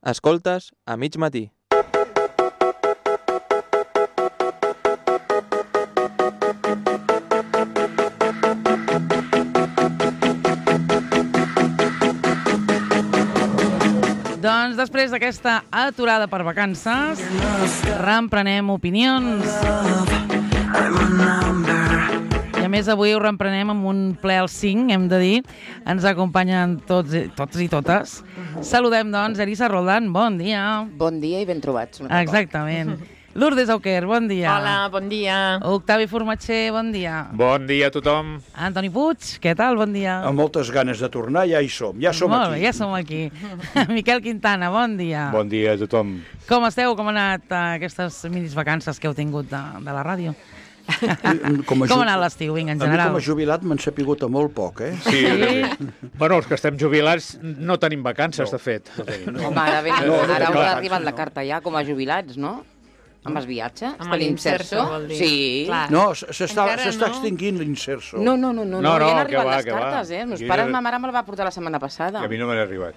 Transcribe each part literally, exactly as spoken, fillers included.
Escoltes a mig matí. Doncs després d'aquesta aturada per vacances, reemprenem opinions. I a més avui ho reemprenem amb un ple al cinc, hem de dir. Ens acompanyen tots, tots i totes. Saludem, doncs, Elisa Roldán, bon dia. Bon dia i ben trobats. Exactament. Lourdes Auquer, bon dia. Hola, bon dia. Octavi Formatxer, bon dia. Bon dia a tothom. Antoni Puig, què tal? Bon dia. Amb moltes ganes de tornar, ja hi som, ja som Molt aquí. bé, ja som aquí. Miquel Quintana, bon dia. Bon dia a tothom. Com esteu? Com han anat uh, aquestes minis vacances que heu tingut de, de la ràdio? Com, Com ha anat l'estiu, vinga, en A mi general? com a jubilat m'han sapigut a molt poc, eh? Sí. Sí? Bueno, els que estem jubilats no tenim vacances, de fet. Home, ara, ben, No, no, ara no, us clar, ha arribat la no. carta ja com a jubilats, no? Amb els viatges? Amb l'Inserso, vol dir. Sí. Clar. No, s'està Encara s'està no. extingint l'Inserso. No, no, no, no, No, no, no, ja han que arribat va, les que va. cartes, eh? Meus Jo pares, ja- ma mare me'l va portar la setmana passada. I a mi no me n'ha arribat.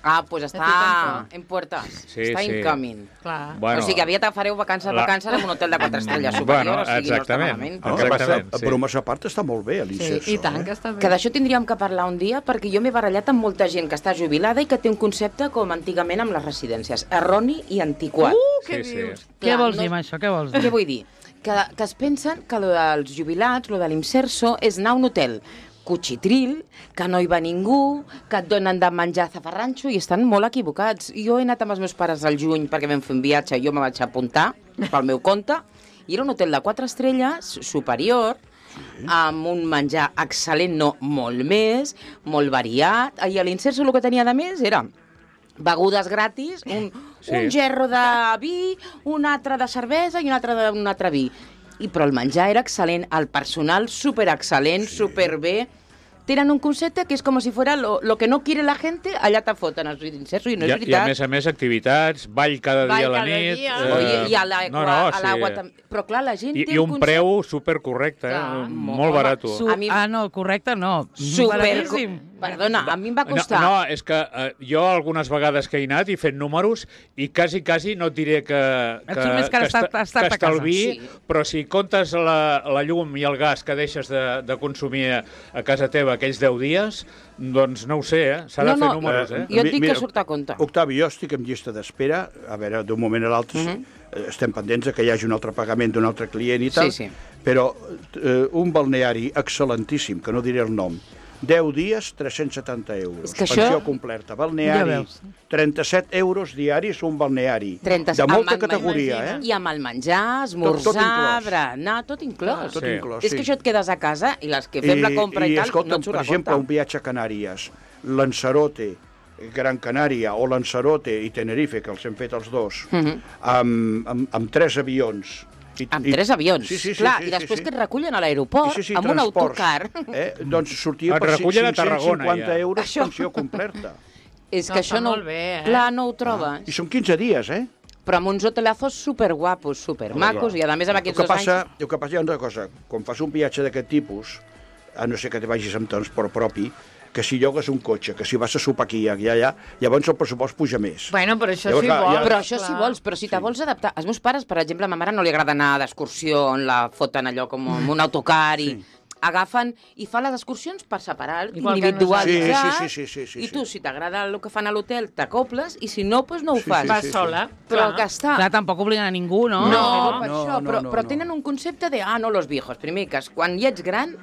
Ah, doncs està tampoc. en puertas. Sí, està sí. incoming. Clar. Bueno, o sigui, aviat fareu vacances, la- vacances en un hotel de quatre estrelles Bueno, superior, o sigui, exactament. no està malament. No, El que passa- Exactament, sí. bromes a part està molt bé, a Sí, l'Inserso. i tant, eh? que està bé. Que d'això tindríem que parlar un dia, perquè jo m'he barallat amb molta gent que està jubilada i que té un concepte com antigament amb les residències, erroni i antiquat. Uh, què Sí, sí. dius? Què Clar, vols no- dir amb això? Què vols dir? Què vull dir? Que, que es pensen que lo dels jubilats, lo de l'Inserso, és anar a un hotel cuchitril, que no hi va ningú, que et donen de menjar zafarranxo, i estan molt equivocats. Jo he anat amb els meus pares al juny perquè vam fer un viatge, jo me vaig apuntar pel meu compte, i era un hotel de quatre estrelles, superior, amb un menjar excel·lent, no, molt més, molt variat. I a l'Inserso el que tenia de més era begudes gratis, un, Sí. un gerro de vi, un altre de cervesa i un altre d'un altre vi. I, però el menjar era excel·lent, el personal superexcel·lent, sí. superbé. Tenen un concepte que és com si fuera lo, lo que no quiere la gente, allà te foten els Inserso, i no I, és a- I a veritat. més a més activitats, ball cada Ball dia a la cada nit. dia. eh, Oye, i a l'aigua, no, no, a l'aigua sí. també. Però clar, la gent I, té I un concepte... preu supercorrecte, eh? Clar, molt home, barat. Su A mi- Ah, no, correcte, no. Super... Baratíssim. Perdona, a mi em va No, costar... no, és que eh, jo algunes vegades que he anat i fet números i quasi, quasi no et diré que, Et que, surt més car que, estar- esta- estar que a casa. estalviï, Sí. però si comptes la, la llum i el gas que deixes de, de consumir a, a casa teva aquells deu dies, doncs no ho sé, eh? S'ha de No, fer no, números, eh? Jo et Mi- dic mira, que surt a compte. Octavi, jo estic en llista d'espera, a veure, d'un moment a l'altre, Mhm. eh, estem pendents de que hi hagi un altre pagament d'un altre client i tal, Sí, sí. però eh, un balneari excel·lentíssim, que no diré el nom, deu dies, tres-cents setanta euros. És que Pensió això- completa. Ja Balneari, veus. trenta-set euros diaris un balneari. trenta de amb molta el- categoria, eh? I amb el menjar, Tot- tot esmorzar, inclòs. berenar, tot inclòs. Tot Sí. inclòs, És sí. que això et quedes a casa i les que fem la compra i, i tal, escolta'm, no et surt per a exemple, un compte. viatge a Canàries, Lanzarote, Gran Canària o Lanzarote i Tenerife, que els hem fet els dos, Mhm. amb, amb, amb tres avions. I, Amb i- tres avions, sí, sí, sí, clar, sí, i després sí, que sí. et recullen a l'aeroport Sí, sí, sí, amb un transports, autocar. Eh? Doncs sortia Et per recullen a cinc-cents Tarragona, cinquanta ja. euros Això. pensió completa. És No, que està això no... molt bé, eh? Clar, no ho trobes. I són quinze dies, eh? Però amb uns hotelazos superguapos, supermacos, i a més amb El aquests que, dos passa, anys... el que passa hi ha una cosa, quan fas un viatge d'aquest tipus, a no ser que te vagis amb transport propi, que si llogues un cotxe, que si vas a sopar aquí i allà, llavors el pressupost puja més. Bueno, però això Llavors, sí clar, vols. ja- Però això si clar. vols, però si te vols adaptar... Els meus pares, per exemple, a ma mare no li agrada anar d'excursió on la foten allò com amb un autocar i... Sí. Agafen i fan les excursions per separar, Igual que individualitzar, Sí, sí, sí, sí, sí, i sí. tu, si t'agrada el que fan a l'hotel, t'acoples, i si no, doncs no ho Sí, fas. sí, Vas sí, sí. sola. Però clar. que està... Clar, tampoc obliguen a ningú, no? No, No, per no, això, no, però, no, però no. tenen un concepte de, ah, no, los viejos. Primer, que quan ja ets gran,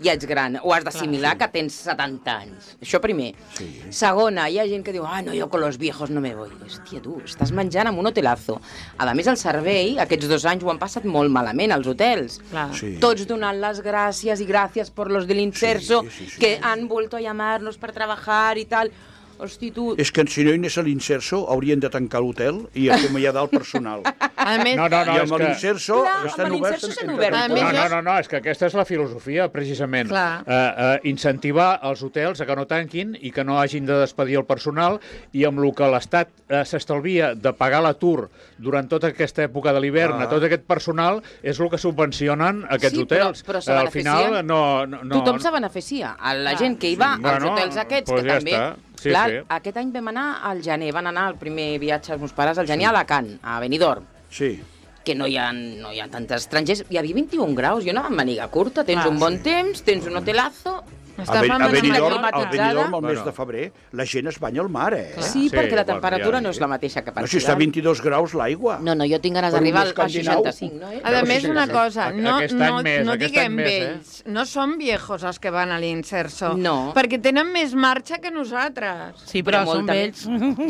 ja ets gran. Ho has d'assimilar que tens setanta anys. Això primer. Sí. Segona, hi ha gent que diu, ah, no, jo con los viejos no me voy. Hòstia, tu, estàs menjant amb un hotelazo. A més, el servei, aquests dos anys ho han passat molt malament, als hotels. Clar. Sí. Tots donant las gracias y gracias por los del Inserso, Sí, sí, sí, que sí. han vuelto a llamarnos para trabajar y tal. Hosti, tu... És que si no hi anés a l'Inserso, haurien de tancar l'hotel i acomiadar el personal. A més, No, no, no, I és amb que... l'Inserso Clar, estan amb oberts... l'Inserso s'han entre obert. A tothom. més, No, no, jo- no, no, és que aquesta és la filosofia, precisament. Clar. Eh, eh, incentivar els hotels a que no tanquin i que no hagin de despedir el personal, i amb el que l'Estat eh, s'estalvia de pagar l'atur durant tota aquesta època de l'hivern Ah. a tot aquest personal, és el que subvencionen aquests Sí, però- hotels. però se Eh, Al beneficien. final, no... no, no Tothom se beneficia. La Clar. gent que hi va Sí. als Bueno, hotels aquests, pues que ja també està. Sí, Clar, sí. aquest any vam anar al gener, van anar el primer viatge els meus pares al gener a Alacant, a Benidorm, Sí. que no hi ha, no hi ha tants estrangers. Hi havia vint-i-un graus, jo anava amb maniga curta, tens Clar, un bon temps, tens un hotelazo. A, ben, a Benidorm, al climatitzada. Benidorm, al mes Bueno. de febrer, la gent es banya al mar, eh? Sí, Sí, perquè la bueno, temperatura ja, no és sí. la mateixa que per No, si està a Ciutat. vint-i-dos graus l'aigua. No, no, jo tinc ganes Per un d'arribar a escandinau. seixanta-cinc, no? Eh? A més, sí, una sí. cosa, no, Aquest any no, més, no aquest diguem any més, eh? vells, no són viejos els que van a l'Inserso, No. perquè tenen més marxa que nosaltres. Sí, però, Però són molta vells.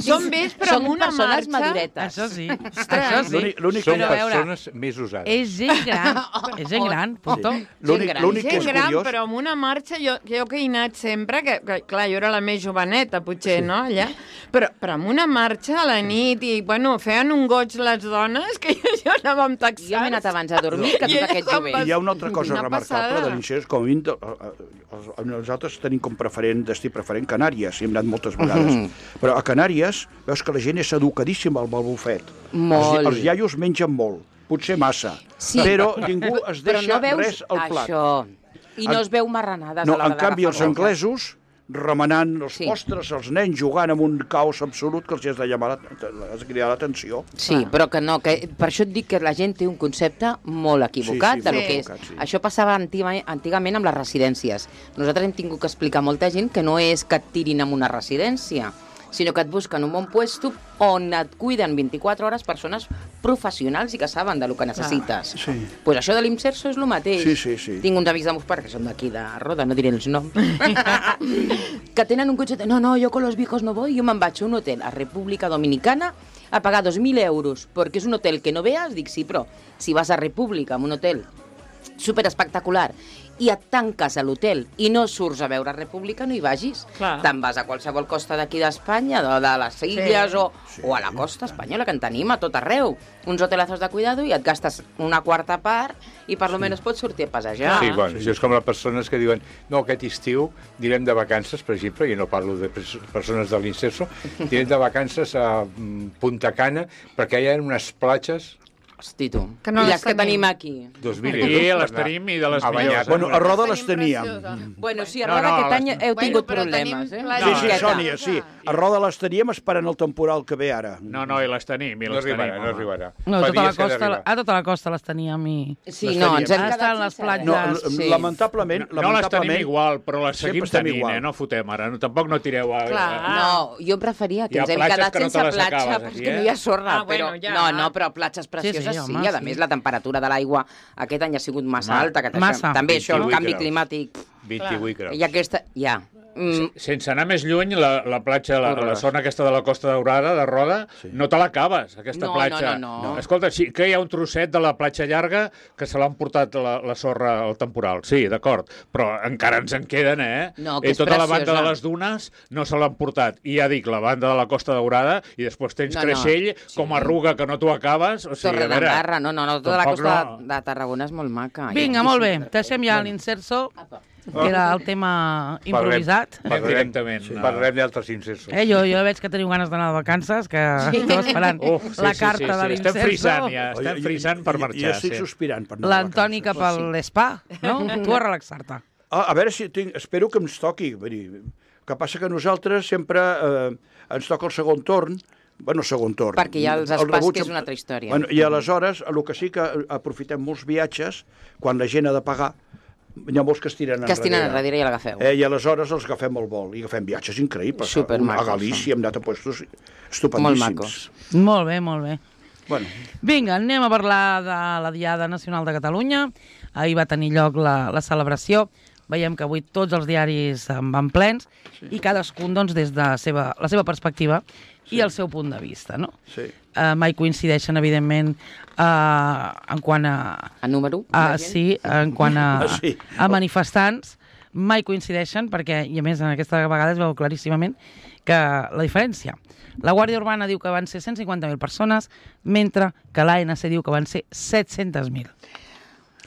Són vells, però Són amb una persones marxa... maduretes. Això sí. Ostres. Això sí. L'únic- l'únic Són Però a veure, persones més usades. És gent gran. És gent gran, punto. L'únic gran. l'únic que Gent és gran, curiós... però amb una marxa, jo, jo que he anat sempre, que, que clar, jo era la més joveneta, potser, sí. no, allà, però, però amb una marxa a la nit i, bueno, feien un goig les dones, que jo, jo anava amb taxats. Jo m'he anat abans a dormir que I tot ella aquest com jovent. va- I hi ha una altra cosa Una remarcable passada. de l'Incers, com a mínim, de- eh, eh, nosaltres tenim com preferent, destí preferent Canàries, hi hem anat moltes vegades, però a Canàries veus que la gent és educadíssima al bufet. Molt. Els, els iaios mengen molt, potser massa, Sí. però ningú es Però deixa no veus res al plat. això. I no En- es veu marranades No, a l'hora en canvi, els d'agafar boca. anglesos remenant els Sí. sí. postres, els nens jugant amb un caos absolut que els has de llamar, la- has de cridar l'atenció. Sí, però que no, que per això et dic que la gent té un concepte molt equivocat Sí, sí, de lo molt que és. equivocat, sí. Això passava antigament, antigament amb les residències. Nosaltres hem tingut que explicar a molta gent que no és que et tirin en una residència, sinó que et busquen un bon puesto on et cuiden vint-i-quatre hores persones professionals i que saben del que necessites. Sí. Pues això de l'Imserso és el mateix. Sí, sí, sí. Tinc uns amics de meus pares que són d'aquí, de Roda, no diré els noms, que tenen un cotxe... No, no, jo con los viejos no voy, jo me'n vaig a un hotel a República Dominicana a pagar dos mil euros, perquè és un hotel que no veas, dic sí, però si vas a República, en un hotel super espectacular, i et tanques a l'hotel i no surts a veure República, no hi vagis. Clar. Te'n vas a qualsevol costa d'aquí d'Espanya, de, de les Illes, Sí. o, o a la costa espanyola, que en tenim a tot arreu. Uns hotelazos de cuidado i et gastes una quarta part i per lo menos pots sortir a passejar. Sí, bueno, això és com les persones que diuen no, aquest estiu direm de vacances, per exemple, i no parlo de pers- persones de l'Inserso, direm de vacances a mm, Punta Cana, perquè hi ha unes platges Hosti, tu. Que no I les les que tenim. tenim aquí. dos mil Aquí euros. les tenim i de les a millors. banyar-se. Bueno, a Roda les Tenim teníem. preciosa. Bueno, sí, a No, Roda no, aquest les- any heu Bueno, tingut però problemes, tenim eh? platges. Sí, No, sí, Miqueta. Sònia, sí. A Roda les teníem esperant el temporal que ve ara. No, no, i les tenim, i No les arribarà, tenim. no home. arribarà. No, Fa tota la dies que ha costa, d'arribar. a tota la costa les teníem i... Sí, Les no, teníem. ens hem Ara quedat estan les sense platges. No, res. l- Sí. lamentablement, No, no les tenim lamentablement... igual, però les sempre seguim estem tenint, igual. eh? No fotem ara. No, tampoc no tireu a... Clar. No, jo em preferia que Hi ha ens hem platges quedat que no te sense les platja acabes, perquè aquí, eh? no hi ha sorra, Ah, bueno, però... ja. No, no, però platges precioses sí, sí, home, i a sí. més la temperatura de l'aigua aquest any ha sigut massa Home, alta, que massa. això, també això, el vint-i-vuit canvi graus. climàtic, vint-i-vuit graus. i aquesta... Ja. Mm, Sense anar més lluny, la, la platja, la, la Horrorós. zona aquesta de la Costa Daurada, de Roda, sí. no te l'acabes, aquesta No, platja. no, no, no. Escolta, sí que hi ha un trosset de la platja llarga que se l'han portat la, la sorra al temporal. Sí, d'acord, però encara ens en queden, eh? No, que I és tota la banda preciosa. de les dunes no se l'han portat. I ja dic, la banda de la Costa Daurada, i després tens No, no. Creixell Sí. com a Ruga que no t'ho acabes. O sigui, Torre a veure, d'Embarra, no, no, no, tota la tampoc costa no. de, de Tarragona és molt maca. Vinga, molt bé, deixem ja l'Inserso, que era el tema improvisat. Anem directament. Sí. a- Parlarem d'altres insersos. Eh, jo, jo veig que teniu ganes d'anar de vacances, que esteu esperant Uf, sí, la sí, carta sí, de sí. l'Inserso. Estem frisant, ja. Oi, Estem jo- frisant per jo- marxar. Jo estic sí. sospirant per anar de L'Antoni vacances. cap a l'espa, no? Tu a relaxar-te. Ah, a veure si tinc... Espero que ens toqui. Vull dir, que passa que nosaltres sempre eh, ens toca el segon torn, bueno, segon torn. Perquè hi ha els El espais, rebuig- que és una altra història. Bueno, I aleshores, el que sí que aprofitem molts viatges, quan la gent ha de pagar, hi ha molts que es tiren Que es tiren enrere i l'agafeu. Eh, I aleshores els agafem al vol i agafem viatges increïbles. Supermacos, A Galícia hem anat a puestos Molt estupendíssims. macos. Molt bé, molt bé. Bueno, Vinga, anem a parlar de la Diada Nacional de Catalunya. Ahir va tenir lloc la, la celebració. Veiem que avui tots els diaris en van plens sí. i cadascun doncs, des de la seva, la seva perspectiva sí. i el seu punt de vista. No? sí. Uh, mai coincideixen, evidentment, uh, en quant a... A número? Uh, de gent? sí, en quant a, Ah, sí. a manifestants. Mai coincideixen, perquè, i a més, en aquesta vegada es veu claríssimament que la diferència. La Guàrdia Urbana diu que van ser cent cinquanta mil persones, mentre que l'A N C diu que van ser set-cents mil.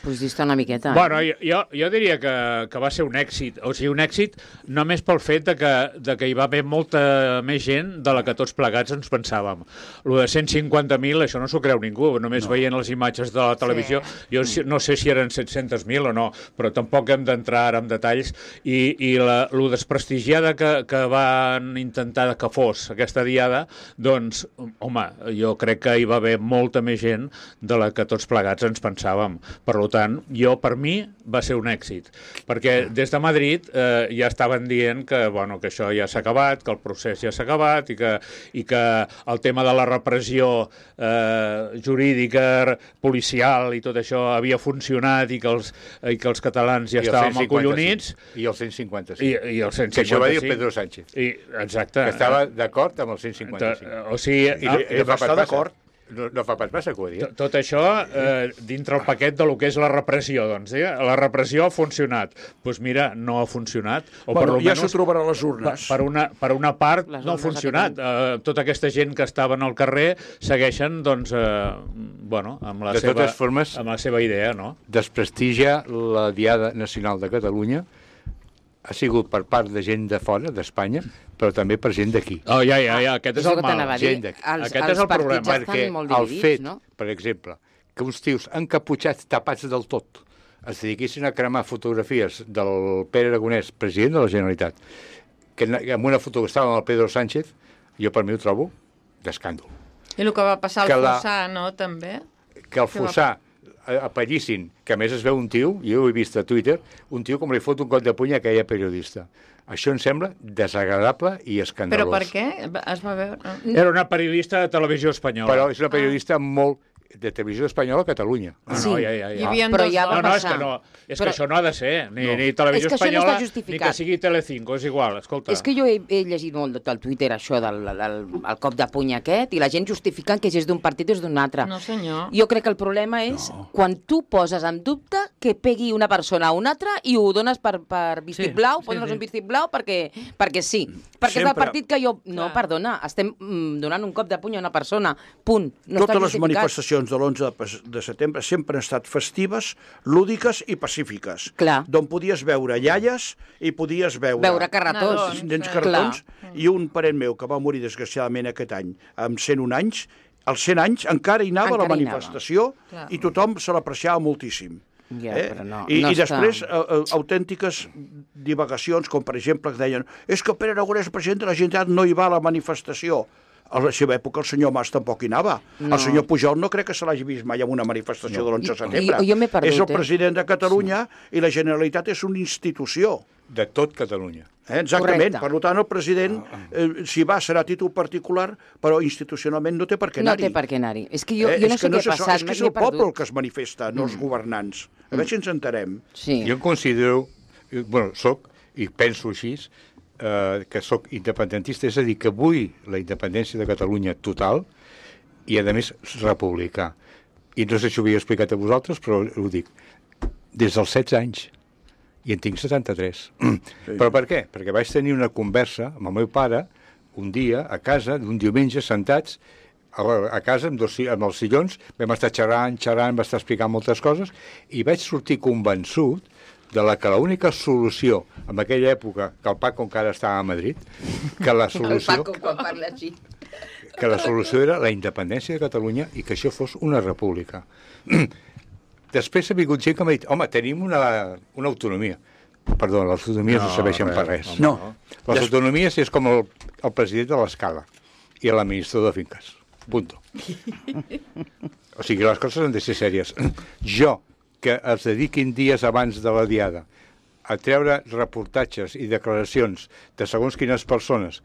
Pues dista una miqueta. Bueno, jo, jo diria que, que va ser un èxit, o sigui, un èxit només pel fet de que, de que hi va haver molta més gent de la que tots plegats ens pensàvem. Lo de cent cinquanta mil, això no s'ho creu ningú, només no. veient les imatges de la televisió. Sí. Jo no sé si eren set-cents mil o no, però tampoc hem d'entrar ara en detalls. I, i la, lo desprestigiada que, que van intentar que fos aquesta diada, doncs, home, jo crec que hi va haver molta més gent de la que tots plegats ens pensàvem. Per tant, jo, per mi, va ser un èxit. Perquè des de Madrid eh, ja estaven dient que, bueno, que això ja s'ha acabat, que el procés ja s'ha acabat i que, i que el tema de la repressió eh, jurídica, policial i tot això havia funcionat i que els, i que els catalans ja I estàvem acollonits. I el cent cinquanta-cinc. I, i el cent cinquanta-cinc. Que això va dir Pedro Sánchez. I, exacte. Que estava d'acord amb el cent cinquanta-cinc. O sigui... I, i, i, i va estar d'acord. No, no fa pas massa que ho dia. Tot, tot això eh, dintre el paquet de lo que és la repressió, doncs, eh? La repressió ha funcionat. Doncs pues mira, no ha funcionat. O bueno, per ja s'ho trobarà a les urnes. Per, per, una, per una part no ha funcionat. Eh, tota aquesta gent que estaven al carrer segueixen, doncs, eh, bueno, amb la, de seva, formes, amb la seva idea, no? Desprestigia la Diada Nacional de Catalunya ha sigut per part de gent de fora, d'Espanya, però també per gent d'aquí. Oh, ja, ja, ja, aquest és el mal. Gent d'aquí. Els, aquest els és el problema. Perquè molt dividits, el fet, no? per exemple, que uns tios encaputxats, tapats del tot, es dediquessin a cremar fotografies del Pere Aragonès, president de la Generalitat, que amb una foto que estava amb el Pedro Sánchez, jo per mi ho trobo d'escàndol. I el que va passar al que la, Fossà, no, també? Que el Fossà apellissin, que a més es veu un tio, jo ho he vist a Twitter, un tio com li fot un cop de puny a aquella periodista. Això em sembla desagradable i escandalós. Però per què? Es va veure... Era una periodista de televisió espanyola. Però és una periodista ah. molt... de televisió espanyola a Catalunya. No, sí. no, ja, ja, ja. Hi havia però ja va no, no, és passar. que, no, és però... que això no ha de ser, ni, no. ni televisió és que espanyola, no ni que sigui Telecinco, és igual, escolta. És que jo he, he llegit molt del Twitter això del el, el cop de puny aquest i la gent justificant que si és d'un partit o és d'un altre. No, senyor. Jo crec que el problema és no. quan tu poses en dubte que pegui una persona a una altra i ho dones per, per vistiplau, sí, poses sí, sí. un vistiplau perquè, perquè sí. Perquè Sempre. És el partit que jo... No, Clar. perdona, estem mm, donant un cop de puny a una persona, punt. No Totes les manifestacions de l'onze de setembre sempre han estat festives, lúdiques i pacífiques. Clar. D'on podies veure iaies i podies veure... Veure carretons. Nens carretons. I un parent meu que va morir desgraciadament aquest any, amb cent un anys, als cent anys encara hi anava encara a la manifestació i tothom se l'apreciava moltíssim. Ja, eh? no, I, no i després està... uh, uh, autèntiques divagacions, com per exemple que deien és que Pere Aragonès, president de la Generalitat, no hi va a la manifestació. A la seva època el senyor Mas tampoc hi anava. No. El senyor Pujol no crec que se l'hagi vist mai en una manifestació no. de l'onze de setembre. Jo, jo m'he perdut, és el president eh? de Catalunya sí. i la Generalitat és una institució. De tot Catalunya. Eh, exactament. Correcte. Per tant, el president, eh, si va, serà a títol particular, però institucionalment no té per què anar-hi. No té per què anar-hi. És que jo, eh, jo no és sé què no ha passat. És que és el poble el que es manifesta, no els governants. A veure si ens enterem. Sí. Jo em considero, bueno, soc, i penso així, eh, que sóc independentista, és a dir, que vull la independència de Catalunya total i, a més, republicà. I no sé si ho havia explicat a vosaltres, però ho dic. Des dels setze anys. I en tinc setanta-tres. Sí. Però per què? Perquè vaig tenir una conversa amb el meu pare un dia a casa, un diumenge, sentats a, a casa amb, dos, amb els sillons, vam estar xerrant, xerrant, va estar explicant moltes coses, i vaig sortir convençut de la que l'única solució en aquella època, que el Paco encara estava a Madrid, que la solució... El Paco quan parla així. Que la solució era la independència de Catalunya i que això fos una república. Després ha vingut gent que m'ha dit, home, tenim una, una autonomia. Perdó, les autonomies no, no serveixen per res. No. Les autonomies és com el, el president de l'escala i l'administrador de finques. Punto. O sigui, les coses han de ser sèries. Jo, que es dediquin dies abans de la diada a treure reportatges i declaracions de segons quines persones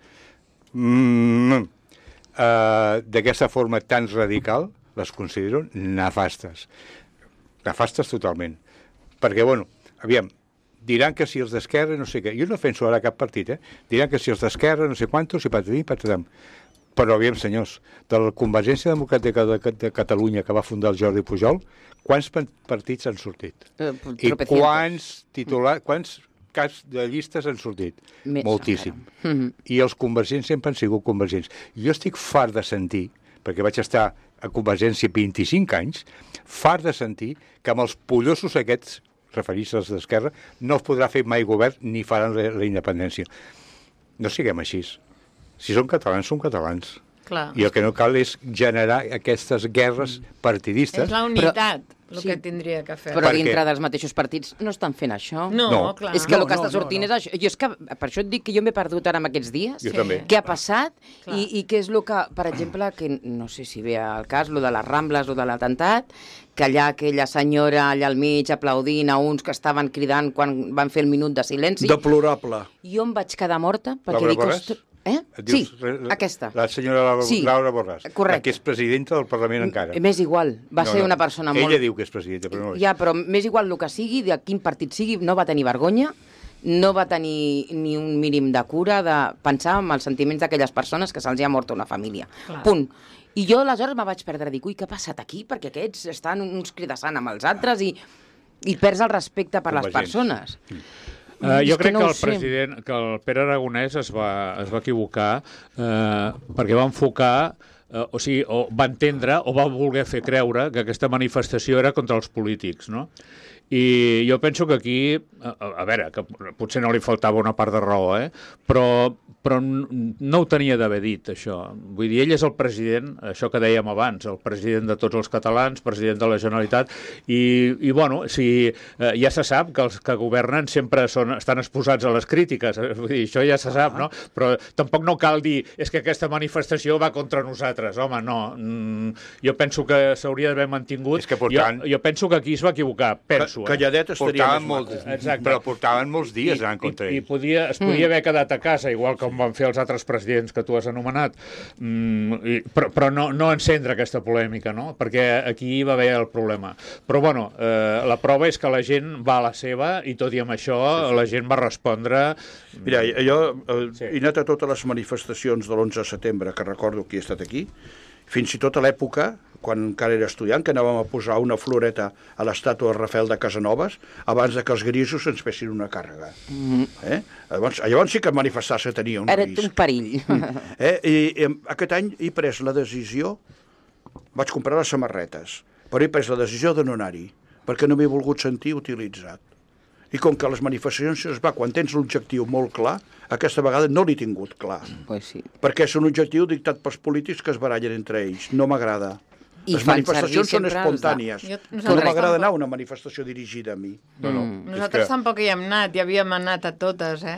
mm, uh, d'aquesta forma tan radical, les considero nefastes. Nefastes totalment. Perquè, bueno, aviam, diran que si els d'Esquerra, no sé què, jo no defenso ara cap partit, eh? Diran que si els d'Esquerra, no sé quantos, i patatim, patatam. Però, aviam, senyors, de la Convergència Democràtica de, de Catalunya que va fundar el Jordi Pujol, quants partits han sortit? Eh, I quants titulars, quants caps de llistes han sortit? Més Moltíssim. Mm-hmm. I els convergents sempre han sigut convergents. Jo estic fart de sentir, perquè vaig estar a Convergència vint-i-cinc anys, fart de sentir que amb els pollosos aquests, referits als d'Esquerra, no es podrà fer mai govern ni faran la, la independència. No siguem així. Si són catalans, són catalans. Clar. I el que no cal és generar aquestes guerres partidistes. És la unitat. Però... el Sí. que tindria que fer. Però Perquè- dintre dels mateixos partits no estan fent això. No, No. clar. És que el No, que no, està sortint no, és això. Jo és que, per això et dic que jo m'he perdut ara en aquests dies. Jo també. Què ha passat Clar. i, i què és el que, per exemple, que no sé si ve al cas, lo de les Rambles o de l'atemptat, que allà aquella senyora allà al mig aplaudint a uns que estaven cridant quan van fer el minut de silenci. Deplorable. Jo em vaig quedar morta perquè Laura dic... Borràs? "Ostres, Eh? Et Sí, dius, re- aquesta. La senyora Laura, Sí, Laura Borràs, correcte. la que és presidenta del Parlament encara. M'és igual, va No, ser no. una persona Ella molt... diu que és presidenta, però no és. Ja, però m'és igual el que sigui, de quin partit sigui, no va tenir vergonya, no va tenir ni un mínim de cura de pensar en els sentiments d'aquelles persones que se'ls ha mort una família. Clar. Punt. I jo aleshores me vaig perdre, dic, ui, què ha passat aquí? Perquè aquests estan uns cridassant amb els altres i, i perds el respecte per les Convergents. persones. Uh, És jo que crec no que ho el sé. president, que el Pere Aragonès es va, es va equivocar eh, perquè va enfocar, eh, o sigui, o va entendre o va voler fer creure que aquesta manifestació era contra els polítics, no? I jo penso que aquí, a, a veure, que potser no li faltava una part de raó, eh? però, però n- no ho tenia d'haver dit, això. Vull dir, ell és el president, això que dèiem abans, el president de tots els catalans, president de la Generalitat, i, i bueno, si, eh, ja se sap que els que governen sempre són, estan exposats a les crítiques, eh? Vull dir, això ja se sap, no? Però tampoc no cal dir, és que aquesta manifestació va contra nosaltres, home, no. Mm, jo penso que s'hauria d'haver mantingut. És que portaven- jo, jo penso que aquí es va equivocar, penso. Eh? Calladet estaria Portaven més molts, maco. Exacte. però portaven molts dies anant contra i, i ell. podia, es podia haver quedat a casa, igual com van fer els altres presidents que tu has anomenat, mm, i, però, però no, no encendre aquesta polèmica, no? Perquè aquí va haver el problema. Però, bueno, eh, la prova és que la gent va a la seva i tot i amb això sí, sí. la gent va respondre... Mira, jo eh, Sí. he anat a totes les manifestacions de l'onze de setembre, que recordo que he estat aquí, fins i tot a l'època, quan encara era estudiant, que anàvem a posar una floreta a l'estàtua de Rafael de Casanovas, abans de que els grisos ens fessin una càrrega. Mm. Eh? Llavors, llavors sí que manifestar-se tenia un Era risc. un perill. Eh? I, I aquest any he pres la decisió, vaig comprar les samarretes, però he pres la decisió de no anar-hi, perquè no m'he volgut sentir utilitzat. I com que les manifestacions es va quan tens l'objectiu molt clar, aquesta vegada no l'he tingut clar, Pues sí. perquè és un objectiu dictat pels polítics que es barallen entre ells. No m'agrada. I Les fan manifestacions servir són sempre els de- espontànies. Jo- No nosaltres m'agrada tampoc. anar a una manifestació dirigida a mi. No, no, Mm. Nosaltres és que... tampoc hi hem anat, ja havíem anat a totes, eh?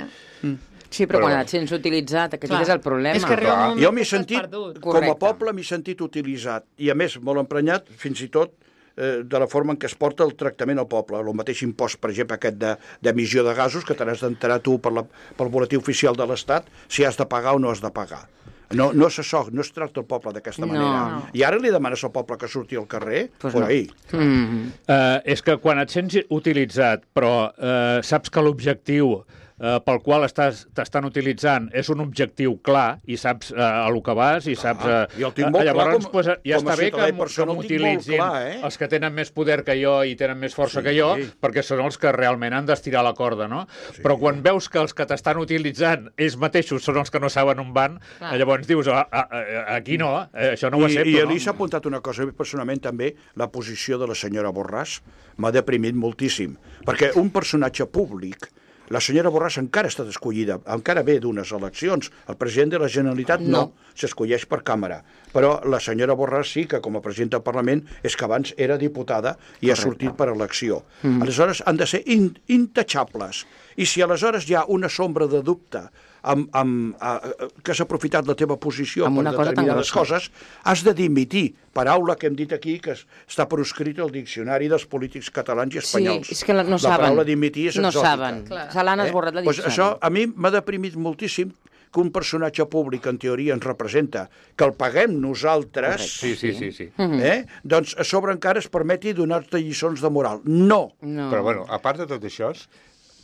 Sí, però, Però- quan et sents utilitzat, aquest Clar. és el problema. És que arriba un Clar. moment Jo que m'he estàs sentit, perdut. com a Correcte. poble, m'he sentit utilitzat. I a més, molt emprenyat, fins i tot, eh, de la forma en què es porta el tractament al poble. El mateix impost, per exemple, aquest de- d'emissió de, de gasos, que te n'has d'enterar tu per la, pel boletí oficial de l'Estat, si has de pagar o no has de pagar. No, no, se so, no es tracta el poble d'aquesta No. manera. No. I ara li demanes al poble que surti al carrer? Pues por no. ahí. Mm. Eh, és que quan et sents utilitzat, però eh, saps que l'objectiu eh, pel qual estàs t'estan utilitzant és un objectiu clar i saps eh, a lo que vas i saps... Eh, jo el tinc molt eh, llavors, clar com- pues, ja com a està bé ciutadà que, i persona, que el tinc molt m'utilitzin clar, eh? els que tenen més poder que jo i tenen més força Sí. que jo, perquè són els que realment han d'estirar la corda, no? Sí. Però quan veus que els que t'estan utilitzant ells mateixos són els que no saben on van, Clar. eh, llavors dius, ah, ah, ah, aquí no, eh, això no ho I, accepto, I no? Elisa ha apuntat una cosa, a mi personalment també, la posició de la senyora Borràs m'ha deprimit moltíssim, perquè un personatge públic, la senyora Borràs encara ha estat escollida, encara ve d'unes eleccions, el president de la Generalitat no, No. s'escolleix per càmera, però la senyora Borràs sí que com a presidenta del Parlament és que abans era diputada i ha sortit per elecció. Mm. Aleshores han de ser in, intouchables, i si aleshores hi ha una sombra de dubte amb, amb, a, a, que s'ha aprofitat la teva posició Amb per una cosa tan determinades grossa. coses, has de dimitir. Paraula que hem dit aquí, que es- està proscrita al diccionari dels polítics catalans i Sí, espanyols. és que la- no la saben. paraula dimitir és No exòtica. saben. Clar. Se l'han esborrat la Pues diccionari. això a mi m'ha deprimit moltíssim que un personatge públic, en teoria, ens representa, que el paguem nosaltres, Sí, sí, sí, sí. eh? doncs a sobre encara es permeti donar-te lliçons de moral. No! No. Però, bueno, a part de tot això,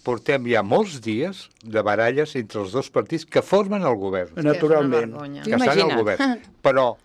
portem ja molts dies de baralles entre els dos partits que formen el govern, Naturalment. vergonya. que estan al Imagina't. govern. Però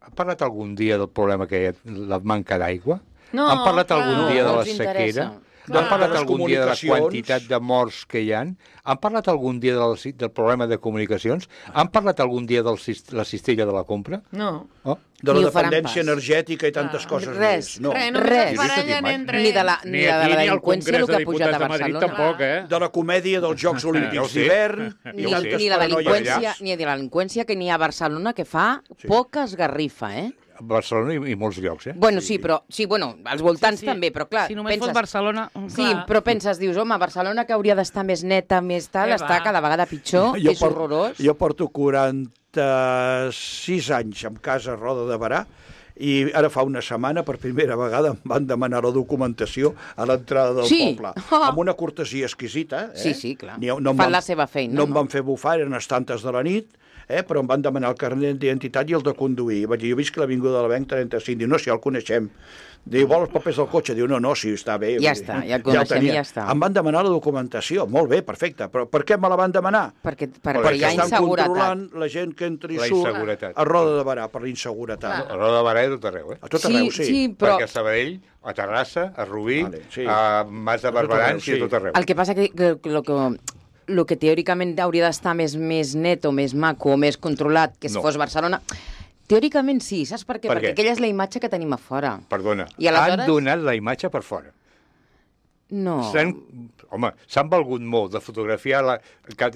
ha parlat algun dia del problema que hi ha, la manca d'aigua? No, Han parlat clar. algun No, dia de no la els interessa. sequera? No han parlat les algun dia de la comunicacions. quantitat de morts que hi han? Han parlat algun dia del, del problema de comunicacions? Han parlat algun dia de la cistella de la compra? No. Oh. De la Ni ho faran dependència pas. energètica i tantes coses Res, més. No. Res, només Res. es barallen entre Ni de la, Ni ni de la aquí ni al delinqüència, el Congrés que de ha pujat Diputats a de Madrid Barcelona. tampoc, eh? De la comèdia dels Jocs Ja ho Olímpics sé. d'hivern Ni, Ja ho sé. ni la delinqüència, paranoies. ni de la delinqüència que n'hi ha a Barcelona, que fa Sí. poca esgarrifa, eh? A Barcelona i, i molts llocs, eh? Bueno, sí, però, sí, bueno, als voltants Sí, sí. també, però clar, Si només penses... fos Barcelona... Sí, Clar. però penses, dius, home, Barcelona que hauria d'estar més neta, més tal, Què està va? cada vegada pitjor, és por- horrorós. Jo porto quaranta-sis anys en casa a Roda de Barà i ara fa una setmana, per primera vegada, em van demanar la documentació a l'entrada del Sí. poble. Oh. Amb una cortesia exquisita. Eh? Sí, sí, clar. Ni- no em Fan van- la seva feina, No em no? van fer bufar, eren les tantes de la nit, eh? però em van demanar el carnet d'identitat i el de conduir. I vaig dir, jo visc a l'Avinguda de l'Avenc trenta-cinc. Diu, no, si ja el coneixem. Diu, vol els papers del cotxe? Diu, no, no, sí, està bé. Ja Vull dir, està, ja el coneixem tenia. i ja està. Em van demanar la documentació. Molt bé, perfecte. Però per què me la van demanar? Perquè, per, Perquè perquè hi ha estan inseguretat. controlant la gent que entra i La surt inseguretat. a Roda de Barà per la inseguretat. A Roda de Barà i a tot arreu, eh? A tot Sí, arreu, sí. sí, però Perquè a Sabadell, a Terrassa, a Rubí, Vale, sí. a Mas de A tot arreu, Barberans sí. i a tot arreu. el que passa que, que, que, lo que el que teòricament hauria d'estar més, més net o més maco o més controlat que si No. fos Barcelona, teòricament sí, saps per què? Per Perquè què? aquella és la imatge que tenim a fora. Perdona, I aleshores- han donat la imatge per fora. No. S'han, home, s'han valgut molt de fotografiar la,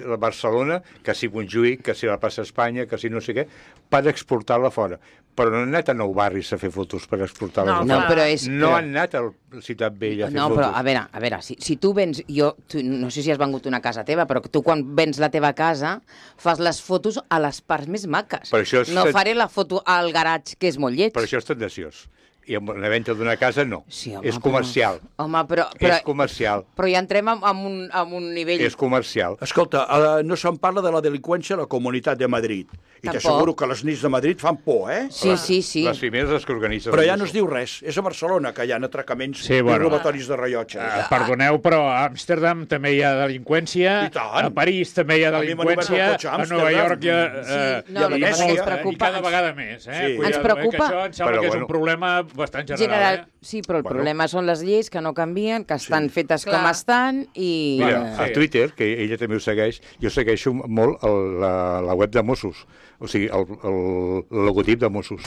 la Barcelona, que si Montjuïc, que si la plaça Espanya, que si no sé què, per exportar-la fora. Però no han anat a nou barris a fer fotos per exportar-la No, No, fora. però és... No però- han anat a la Ciutat Vella a fer No, fotos. però a veure, a veure, si, si tu vens, jo tu, no sé si has vengut una casa teva, però tu quan vens la teva casa fas les fotos a les parts més maques. Per això és no ten- faré la foto al garatge, que és molt lleig. Per això és tendenciós. I amb la venda d'una casa no. Sí, home, és comercial. Però, home, però, però, És comercial. però ja entrem en, en, un, en un nivell... És comercial. Escolta, eh, no se'n parla de la delinqüència a la Comunitat de Madrid. I Tampoc. t'asseguro que les nits de Madrid fan por, eh? Sí, sí, sí. Les primeres les que organitzen. Però el ja no es Musso. diu res. És a Barcelona que hi ha atracaments Sí, i bueno. robatoris de rellotges. Uh, perdoneu, però a Amsterdam també hi ha delinqüència, I tant. a París també hi ha A mi m'han obert el delinqüència, cotxe a a Amsterdam. Nova York hi ha... Sí, eh, no, i a el que passa Venècia, que ens eh, I preocupa... cada vegada més, eh? Sí. Cuidado, Ens eh, preocupa- que això em sembla Però que és bueno. un problema bastant general, General, eh? sí, però el Bueno. problema són les lleis que no canvien, que estan Sí. fetes Clar. com estan i... Mira, Sí. a Twitter, que ella també ho segueix, jo segueixo molt el, la, la web de Mossos, o sigui, el, el, el logotip de Mossos.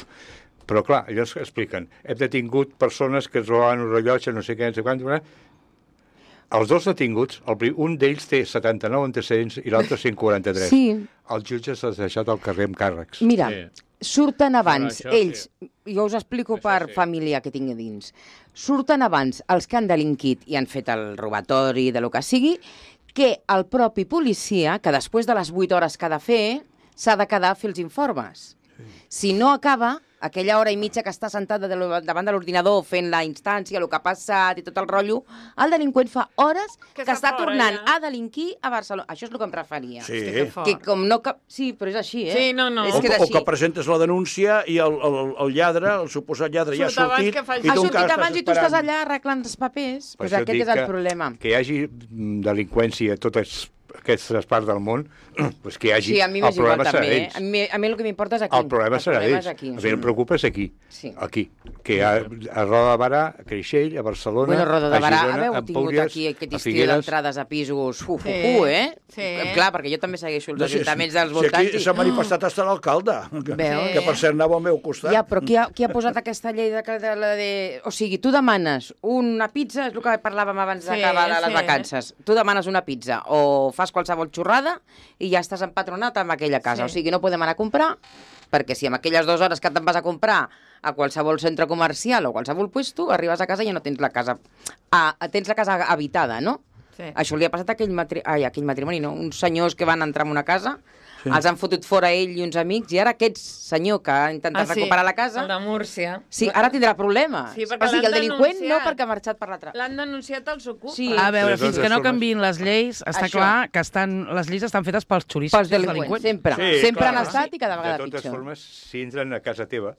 Però, clar, ells expliquen, hem detingut persones que es robaven un rellotge, no sé què, no sé quant, els dos detinguts, el, prim- un d'ells té setanta-nou antecedents i l'altre cent quaranta-tres. Sí. Els jutges els ha deixat al carrer amb càrrecs. Mira, Sí. surten abans, Però això ells, jo us explico Això per sí. família que tinc a dins, surten abans els que han delinquit i han fet el robatori de lo que sigui, que el propi policia, que després de les vuit hores que ha de fer, s'ha de quedar a fer els informes. Si no acaba, aquella hora i mitja que està sentat de lo- davant de l'ordinador fent la instància, el que ha passat i tot el rotllo, el delinqüent fa hores Que que, està està fora, tornant ja. a delinquir a Barcelona. Això és el que em referia. Sí. Hosti, que fort. Que com no cap... Sí, però és així, eh? Sí, no, no. És O, que és o així. que presentes la denúncia i el, el, el lladre, el suposat lladre, ja ha Surt abans sortit que faci- i Ha tu sortit encara abans i tu esperant. estàs allà arreglant els papers. Per Pues això aquest dic és el que- problema. Que hi hagi mm, delinqüència a totes aquestes parts del món, pues que hi hagi... Sí, a mi el m'és igual problema serà també. Eh? d'ells. A, mi, a mi el que m'importa és aquí. El problema serà problema d'ells. és aquí. A mi em preocupa és aquí. Sí. Aquí. Que a, a Roda de Barà, a Creixell, a Barcelona, Bueno, Roda de a Barà, Girona, haveu a tingut Empúries, aquí aquest a estiu Figueres. d'entrades a pisos uf, uf, Sí, uf, eh? sí. Clar, perquè jo també segueixo els No sé, ajuntaments dels si voltants. aquí s'ha manifestat fins l'alcalde, que, Veus? que per cert anava al meu costat. Ja, però qui ha, qui ha posat aquesta llei de, que- de, la de... O sigui, tu demanes una pizza, és el que parlàvem abans Sí, d'acabar de les sí. vacances. Tu demanes una pizza o fas qualsevol xorrada i ja estàs empatronat amb aquella casa. Sí. O sigui, no podem anar a comprar, perquè si en aquelles dues hores que te'n vas a comprar a qualsevol centre comercial o qualsevol puesto, arribes a casa i ja no tens la casa... Ah, tens la casa habitada, no? Sí. Això li ha passat a aquell, matri... Ai, a aquell matrimoni, no? Uns senyors que van entrar en una casa, sí. els han fotut fora ell i uns amics, i ara aquest senyor que ha intentat Ah, sí, recuperar la casa... el de Múrcia. Sí, ara tindrà problema. Sí, perquè o sigui, el l'han delinqüent no, denunciat. perquè ha marxat per l'altre. L'han denunciat als Ocupa. Sí. A veure, De totes fins que no formes- canviïn les lleis, està Això. clar que estan, les lleis estan fetes pels xuristes Pels i els delinqüents, delinqüents. sempre. Sí, sempre clar. han estat i cada De vegada totes pitjor. formes, si entren a casa teva,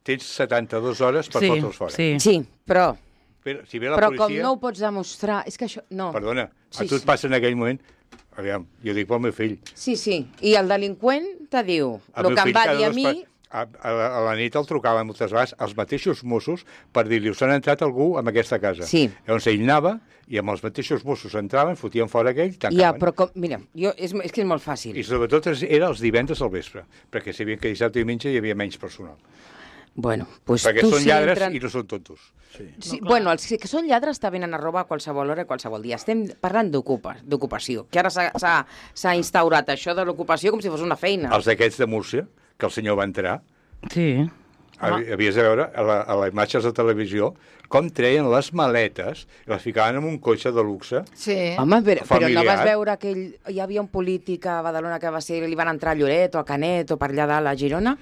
tens setanta-dues hores per Sí, fotre'ls fora. sí. Sí, però, Però, si ve la però com policia... no ho pots demostrar... És que això... No. Perdona, Sí, a tu et sí. passa en aquell moment... Aviam, jo dic pel meu fill. Sí, sí. I el delinqüent te diu El el meu que em fill va cada dir a dos mi... per- A, a, a la nit el trucaven moltes vegades els mateixos Mossos per dir-li us han entrat algú en aquesta casa. Sí. Llavors ell anava i amb els mateixos Mossos entraven, fotien fora aquell, tancaven. Ja, però com, mira, jo, és, és que és molt fàcil. I sobretot era els divendres al vespre, perquè sabien que dissabte i diumenge hi havia menys personal. Bueno, pues perquè tu són si lladres entren... i no són tontos. Sí. Sí, bueno, els que són lladres te venen a robar a qualsevol hora, a qualsevol dia. Estem parlant d'ocupa, d'ocupació, que ara s'ha instaurat això de l'ocupació com si fos una feina. Els d'aquests de Múrcia, que el senyor va entrar, Sí. havies de veure a, la, a les imatges de televisió com treien les maletes i les ficaven en un cotxe de luxe. Sí. Home, però, però no familiar. vas veure que ell, hi havia un polític a Badalona que va ser, li van entrar a Lloret o a Canet o per allà dalt a Girona,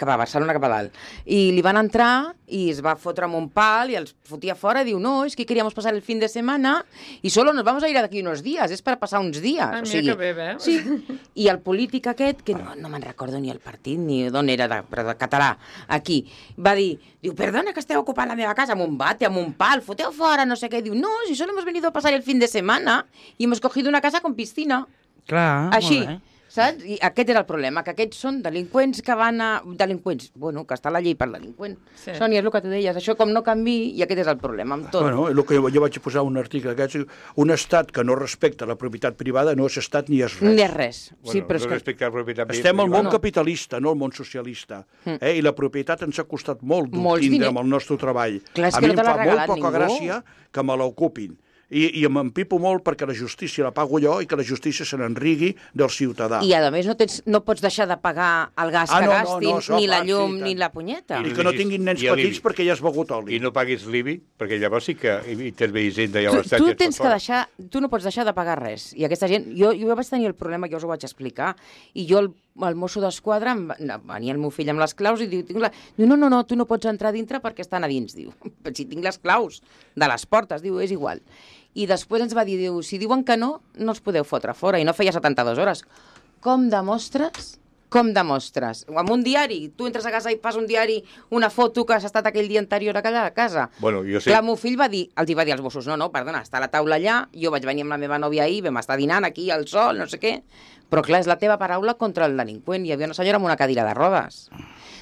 cap a Barcelona, cap a dalt. I li van entrar i es va fotre amb un pal i els fotia fora i diu, no, es que queríamos pasar el fin de semana y solo nos vamos a ir d'aquí unos días, és per passar uns dies. Ah, o mira sigui, que bé, veus? Sí. I el polític aquest, que no, no me'n recordo ni el partit ni d'on era, de, però de català, aquí, va dir, diu, perdona que esteu ocupant la meva casa amb un bate, amb un pal, foteu fora, no sé què. Diu, no, si solo hemos venido a pasar el fin de semana y hemos cogido una casa con piscina. Clar, Així, molt bé. saps? I aquest era el problema, que aquests són delinqüents que van a... Delinqüents, bueno, que està la llei per delinqüent. Sí. Sí. Sònia, és el que tu deies, això com no canvi, i aquest és el problema, amb tot. Bueno, el que jo, jo vaig posar un article d'aquests, un estat que no respecta la propietat privada no és estat ni és res. Ni és res. Bueno, sí, però és no que... respecte a la propietat Estem al món No. capitalista, no al món socialista. Eh? I la propietat ens ha costat molt Molts d'obtindre diners. amb el nostre treball. Clar, és a que mi no te em l'ha fa molt regalat poca ningú. gràcia que me l'ocupin. I, I m'empipo molt perquè la justícia la pago jo i que la justícia se n'enrigui del ciutadà. I a més no, tens, no pots deixar de pagar el gas Ah, que no, no, gastin, no, això ni la clar, llum, sí, ni tant. la punyeta. I que no tinguin nens I a petits l'I B I. perquè ja has begut oli. I no paguis l'I B I, perquè llavors sí que interveïs de Tu, l'estat. tu i et tens fot que fora. deixar, tu no pots deixar de pagar res. I aquesta gent, jo, jo vaig tenir el problema, jo us ho vaig explicar, i jo, el, el mosso d'esquadra, em va- no, venia el meu fill amb les claus i diu, tinc la... diu, no, no, no, tu no pots entrar dintre perquè estan a dins, diu. Si tinc les claus de les portes, diu, és igual. I després ens va dir, diu, si diuen que no, no els podeu fotre fora, i no feia setanta-dues hores. Com demostres? Com demostres? Amb un diari, tu entres a casa i fas un diari, una foto que has estat aquell dia anterior a aquella casa. Bueno, jo sé... Clar, el meu fill va dir, els hi va dir als Mossos, no, no, perdona, està a la taula allà, jo vaig venir amb la meva nòvia ahir, vam estar dinant aquí al sol, no sé què, però clar, és la teva paraula contra el delinqüent. Hi havia una senyora amb una cadira de rodes.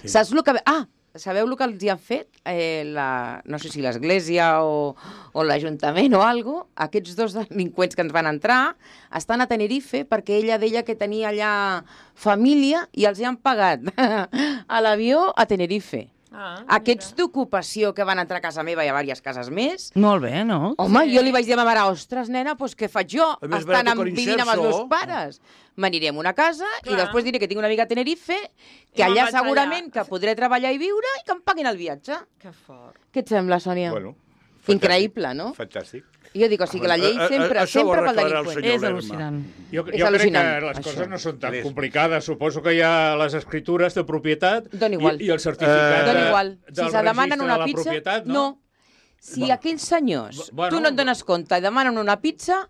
Sí. Saps el que... Ah, sabeu el que els hi han fet? Eh, la... No sé si l'església o, o l'Ajuntament o algo. Aquests dos delinqüents que ens van entrar estan a Tenerife perquè ella deia que tenia allà família i els hi han pagat a l'avió a Tenerife. Ah, Aquests d'ocupació que van entrar a casa meva i a diverses cases més, Molt bé, no? home, sí. Jo li vaig dir a ma mare, ostres, nena, doncs què faig jo? A més, Estan barato amb, con vivint amb els inserso. meus pares. M'aniré a una casa Clar. i després diré que tinc una amiga a Tenerife, que I me'n allà vaig segurament allà. que podré treballar i viure i que em paguin el viatge. Que fort. Què et sembla, Sònia? Bueno, Increïble, no? Fantàstic. Jo dic, o sigui, que la llei A- a- a- sempre, això ho sempre pel arreglarà el delinqüent. senyor És Lerma. al·lucinant. Jo, És jo crec que al·lucinant, les coses això. no són tan És- complicades. Suposo que hi ha les escritures de propietat Dona igual. i, i el certificat Dona de, igual. del Si se demanen registre una de la pizza, propietat, no? no. Si Bueno. aquells senyors, Bueno, tu no et dones compte i demanen una pizza,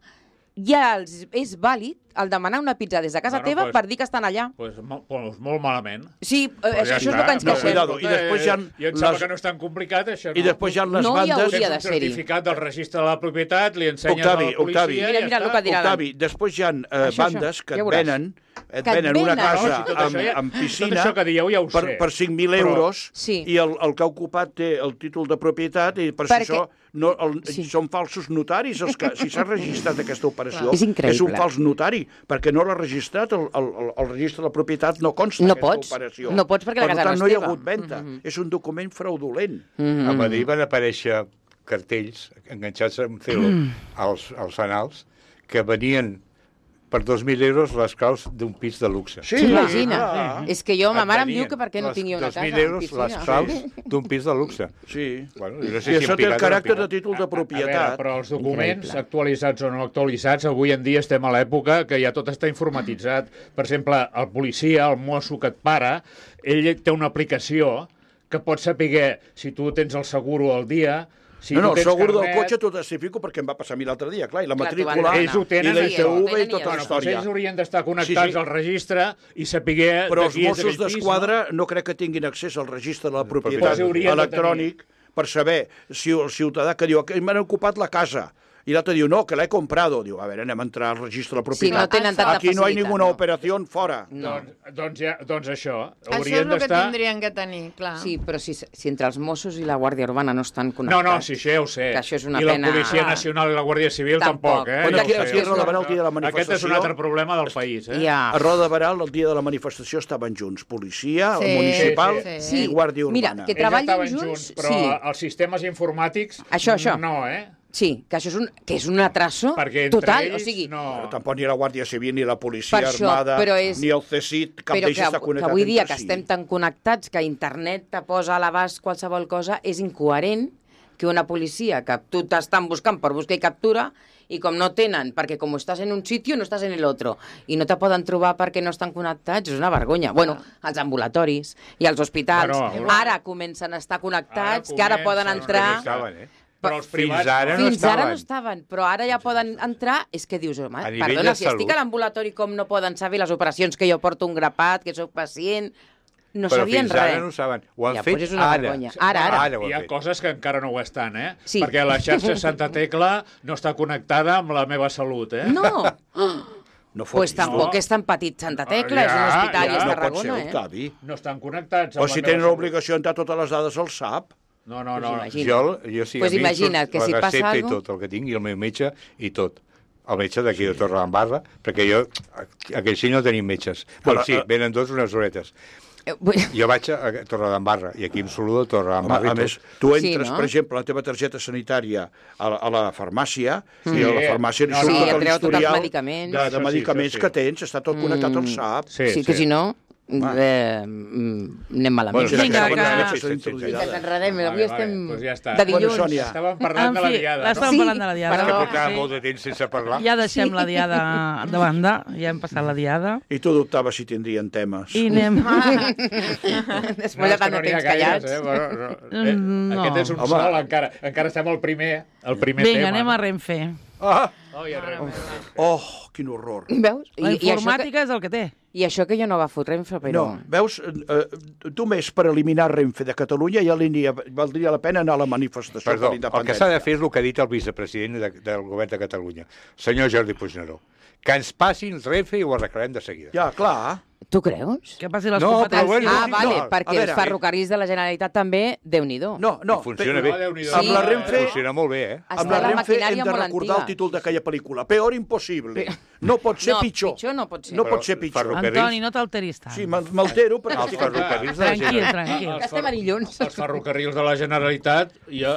ja els, és vàlid el demanar una pizza des de casa Bueno, teva pues- per dir que estan allà. Pues, mo- pues molt malament. Sí, eh, Pues això, ja això és està. el que ens No, queixem. cuidado. I després hi ha I em sembla les- que no és tan complicat, això. I després hi ha les No hi bandes... hauria Tens de un ser-hi. certificat del registre de la propietat, li ensenyes Octavi, a la policia Octavi. i Mira, ja mira està. el que dirà Octavi, després hi ha eh, Això, això. bandes que Ja et veuràs. venen, et Que et venen una venen. casa No, si tot amb, això ja- amb tot piscina això que dieu ja ho per, sé. per cinc mil Però- euros Sí. i el, el que ha ocupat té el títol de propietat i per Perquè- si això no, el, Sí. són falsos notaris els que, si s'ha registrat aquesta operació És increïble. és un fals notari perquè no l'ha registrat el, el, el, el registre de la propietat no consta No aquesta pots. operació. No pots perquè la per casa tant, no no és hi ha teva. hagut venda. Mhm. És un document fraudulent. Mm. A Madrid van aparèixer cartells enganxats amb celo als, als fanals que venien per dos mil euros les claus d'un pis de luxe. Sí, Imagina. clar. És que jo, ma Et mare em venien diu que per què no les- tinc jo una dos casa mil amb euros piscina. les claus d'un pis de luxe. Sí. Bueno, jo no I sé si això en té el Picat o no caràcter de Picat. títol de A veure, propietat. però els documents, Increïble. actualitzats o no actualitzats, avui en dia estem a l'època que ja tot està informatitzat. Per exemple, el policia, el mosso que et para, ell té una aplicació que pot saber si tu tens el seguro al dia, si no, no, tu el tens segur del carnet... cotxe t'ho testifico perquè em va passar a mi l'altre dia, clar, i la Clar, t'ho van matrícula, demanar. Ells ho tenen, i la això. I T V i Tenen tota i la Bueno, doncs història. ells haurien d'estar connectats Sí, sí. al registre i saber Però els de qui és Mossos aquell pis, d'Esquadra no? no crec que tinguin accés al registre de la propietat Pues haurien de electrònic per saber si el ciutadà que diu que m'han ocupat la casa i l'altre diu, no, que l'he comprado. Diu, a veure, anem a entrar al registre de la Sí, no propietat. tenen tanta Aquí no hi ha facilitat, ninguna no. operació fora. No. Doncs, doncs, ja, doncs això, Això és haurien el que d'estar... tindrien que tenir, clar. Sí, però si, si entre els Mossos i la Guàrdia Urbana no estan No, connectats... no, sí, això ja ho sé. Que això és una I la pena... Policia Clar. Nacional i la Guàrdia Civil tampoc, Tampoc. eh? Bueno, Ja ho aquí, sé, aquí ja a ho sé. Roda Barà, el dia de la Aquest manifestació... és un altre problema del país, eh? Ja. A Roda de Barà, el dia de la manifestació, estaven junts. Policia, Sí, municipal sí, sí. i Guàrdia Mira, Urbana. que Ells treballin estaven junts, però sí. els sistemes informàtics Això, això. no, eh? Sí, que això és un, que és un atraso Perquè entre total. ells O sigui, no... Però tampoc ni la Guàrdia Civil, ni la Policia Per això, Armada, però és- ni el C S I T, cap però d'ells que, està que connectat avui dia entre que si. estem tan connectats que internet te posa a l'abast qualsevol cosa, és incoherent que una policia que tu t'estan buscant per buscar i captura i com no tenen, perquè com estàs en un sitio no estàs en l'altre, i no te poden trobar perquè no estan connectats, és una vergonya. Bueno, els ambulatoris i els hospitals, Bueno, ara comencen a estar connectats, Ara que ara poden comencen, entrar... no Estaven, eh? Però els Fins privats... ara no Fins ara no estaven. estaven, però ara ja poden entrar. És que dius, home, A nivell perdona, de si estic salut. a l'ambulatori com no poden saber les operacions que jo porto un grapat, que sóc pacient... No Però sabien fins res. ara no ho saben. Ho han Ja, fet doncs és una ara. vergonya. Ara, ara. Ara ho Hi han ha fet. coses que encara no ho estan, eh? Sí. Perquè la xarxa Santa Tecla no està connectada amb la meva salut, eh? No, No pues fotis, tampoc no. és tan petit Santa Tecla, Ah, és un ja, hospital ja. i és no pot ser, Tarragona, eh? Octavi. No estan connectats O amb si la tenen meva l'obligació d'entrar totes les dades al S A P. No, no, Pues no. imagina. Jo, jo sí, Pues a mi em imagina't surt que si la passa recepta i algo- tot el que tinc, i el meu metge i tot. El metge d'aquí de Torredembarra, perquè jo, a Creixell no tenim metges. Bueno, Ara, sí, eh, venen tots unes horetes. Eh, vull- Jo vaig a a Torredembarra, i aquí em saludo a Home, Torredembarra a i més, tot. tu Sí, entres, no? per exemple, la teva targeta sanitària a la, a la farmàcia, i a la Sí. farmàcia li No, surt no. tot Sí, et treu tots els l'historial medicaments. de, Això de sí, medicaments això sí. que tens, està tot connectat al S A P. Sí, sí, que sí. si no, eh, mm, anem malament. Bueno, Sí, Vinga, sí, que- sí, sí, sí, sí, sí, sí. sí. Que ens enredem, Vale, avui vale, estem doncs ja està. de Bueno, dilluns. Sònia. Estàvem parlant En de la fi, diada, l'estàvem no? Sí, parlant de la diada. És que perdó. portava Sí. molt de temps sense parlar. Ja deixem la diada de banda, ja hem passat la diada. I tu dubtaves si tindrien temes. I anem... Després de tant de n'hi ha temps gaires, callats. eh? Bueno, no. Eh, No. Aquest és un Home. sol, encara. Encara estem al primer, el primer Vinga, tema. anem a Renfe. Ah! Oh, ja Renfe. Oh, quin horror. Veus? La I, i, això que, informàtica és el que té. I això que jo no agafo Renfe, però... No, veus, eh, tu més per eliminar Renfe de Catalunya ja li valdria la pena anar a la manifestació Perdó, per el que l'independència. s'ha de fer és el que ha dit el vicepresident de, del govern de Catalunya, senyor Jordi Puigneró. Que ens passin el Renfe i ho arreglarem de seguida. Ja, clar. Tu creus? Que passi les No, però competències. bueno, Ah, sí, vale, no, perquè a veure, els ferrocarrils de la Generalitat també, Déu-n'hi-do. No, no. I funciona pe- bé. No, Déu-n'hi-do. Amb la Sí. Renfe... Funciona molt bé, eh? Està Amb la la Renfe maquinària hem de molt recordar antiga. el títol d'aquella pel·lícula. Peor impossible. No pot ser No, pitjor. pitjor no pot ser. No Però pot ser pitjor. ferrocarrils- Antoni, no t'alteris tant. Sí, me'l- m'altero perquè... Els estic- ferrocarrils de la Tranquil, Generalitat. tranquil. Els Estem a dilluns. Els ferrocarrils de la Generalitat, jo,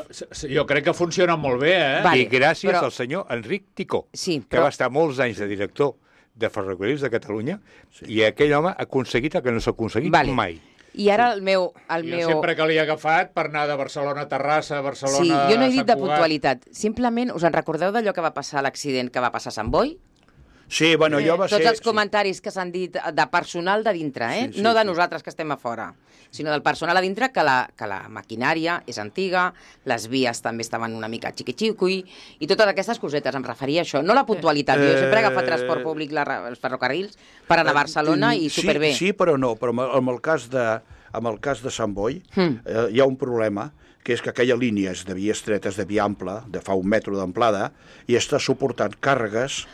jo crec que funcionen molt bé, eh? Vale, I gràcies però- al senyor Enric Ticó, Sí, que però- va estar molts anys de director de ferrocarrils de Catalunya, sí. I aquell home ha aconseguit el que no s'ha aconseguit Vale. mai. I ara el meu... El Jo meu... sempre que l'he agafat per anar de Barcelona a Terrassa, Barcelona Sí, jo no he dit a de Sant Cugat. puntualitat. Simplement, us en recordeu d'allò que va passar a l'accident que va passar a Sant Boi? Sí, bueno, jo va ser... Tots els sí. comentaris que s'han dit de personal de dintre, eh? Sí, sí, no de sí. nosaltres que estem a fora, sinó del personal a dintre, que la, que la maquinària és antiga, les vies també estaven una mica xiqui-xiqui, i totes aquestes cosetes, em referia a això. No la puntualitat, jo sempre he agafat Eh, transport públic, la, els ferrocarrils, per anar a Barcelona i Sí, superbé. Sí, però no. Però amb, amb, el cas de, amb el cas de Sant Boi Mm. eh, hi ha un problema, que és que aquella línia és de via estreta, és de via ampla, de fa un metre d'amplada, i està suportant càrregues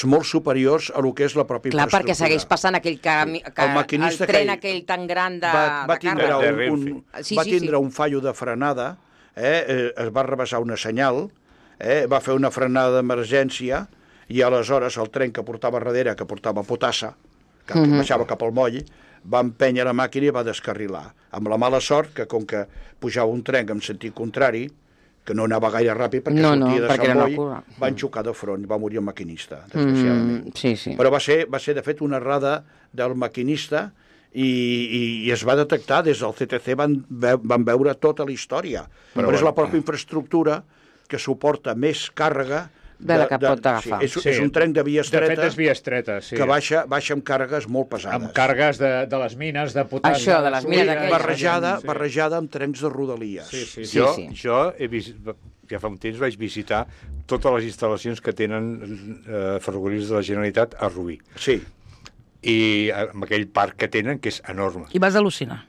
molt superiors a lo que és la pròpia Clar, infraestructura. perquè segueix passant aquell, camí, que, El maquinista el tren aquell aquell tan gran de, va, va de tindre, càrrega. De un, un, Renfe. Sí, va sí, tindre sí. un fallo de frenada, eh, eh, es va rebaixar una senyal, eh, va fer una frenada d'emergència i aleshores el tren que portava darrere, que portava potassa, que Mhm. baixava cap al moll, va empènyer la màquina i va descarrilar. Amb la mala sort que, com que pujava un tren en sentit contrari, que no anava gaire ràpid perquè No, no, sortia de perquè Sant era una Boi, cua. van xocar de front, va morir el maquinista, desgraciadament. Mm, sí, sí. Però va ser, va ser, de fet, una errada del maquinista i, i, i es va detectar, des del C T C van, ve, van veure tota la història. Però, Però és bueno. la pròpia infraestructura que suporta més càrrega De la que pot agafar. Sí, és, Sí. és un tren de via De estreta fet, és via estreta, sí. que baixa, baixa amb càrregues molt pesades. Amb càrregues de, de les mines, de potassi... Això, de les mines gasolina, aquelles. barrejada, sí. barrejada amb trens de rodalies. Sí, sí, sí. Sí, jo, sí. jo he vist, ja fa un temps vaig visitar totes les instal·lacions que tenen eh, ferrocarrils de la Generalitat a Rubí. Sí. I amb aquell parc que tenen, que és enorme. I vas al·lucinar.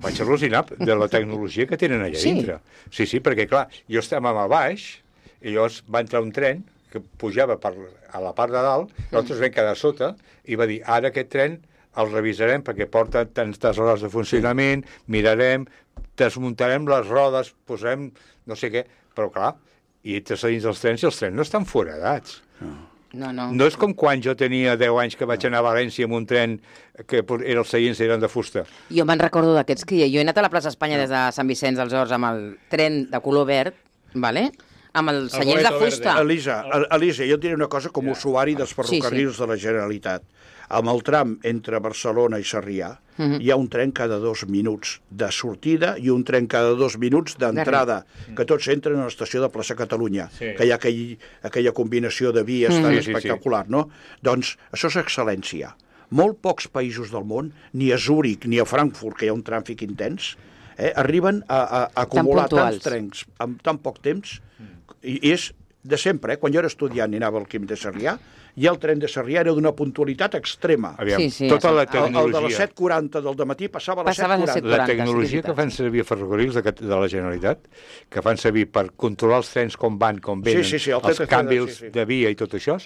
Vaig al·lucinar de la tecnologia que tenen allà Sí. dintre. Sí, sí, perquè, clar, jo estàvem a baix, i llavors va entrar un tren, que pujava per, a la part de dalt, nosaltres vam quedar sota, i va dir, ara aquest tren el revisarem perquè porta tantes hores de funcionament, mirarem, desmuntarem les rodes, posarem no sé què, però clar, i entres a dins dels trens i els trens no estan foradats. No, no. No és com quan jo tenia deu anys que vaig anar a València amb un tren que era els seients eren de fusta. Jo me'n recordo d'aquests que jo he anat a la plaça Espanya des de Sant Vicenç dels Horts amb el tren de color verd, vale? Amb els seients de fusta. Elisa, Elisa, jo et diré una cosa com a usuari dels ferrocarrils sí, sí. de la Generalitat. Amb el tram entre Barcelona i Sarrià uh -huh. hi ha un tren cada dos minuts de sortida i un tren cada dos minuts d'entrada, que tots entren a l'estació de Plaça Catalunya, sí. que hi ha aquell, aquella combinació de vies uh -huh. tan sí, espectacular, sí, sí. no? Doncs això és excel·lència. Molt pocs països del món, ni a Zúrich ni a Frankfurt, que hi ha un tràfic intens, eh, arriben a, a acumular tants trens en tan poc temps. I és de sempre, eh? Quan jo era estudiant i anava al Quim de Sarrià, i el tren de Sarrià era d'una puntualitat extrema. Aviam, sí, sí, tota la tecnologia... El, el de les set quaranta del dematí passava a les set quaranta. La tecnologia que fan servir a ferrocarrils de, de la Generalitat, que fan servir per controlar els trens com van, com venen, sí, sí, sí, el els canvis sí, sí. de via i tot això,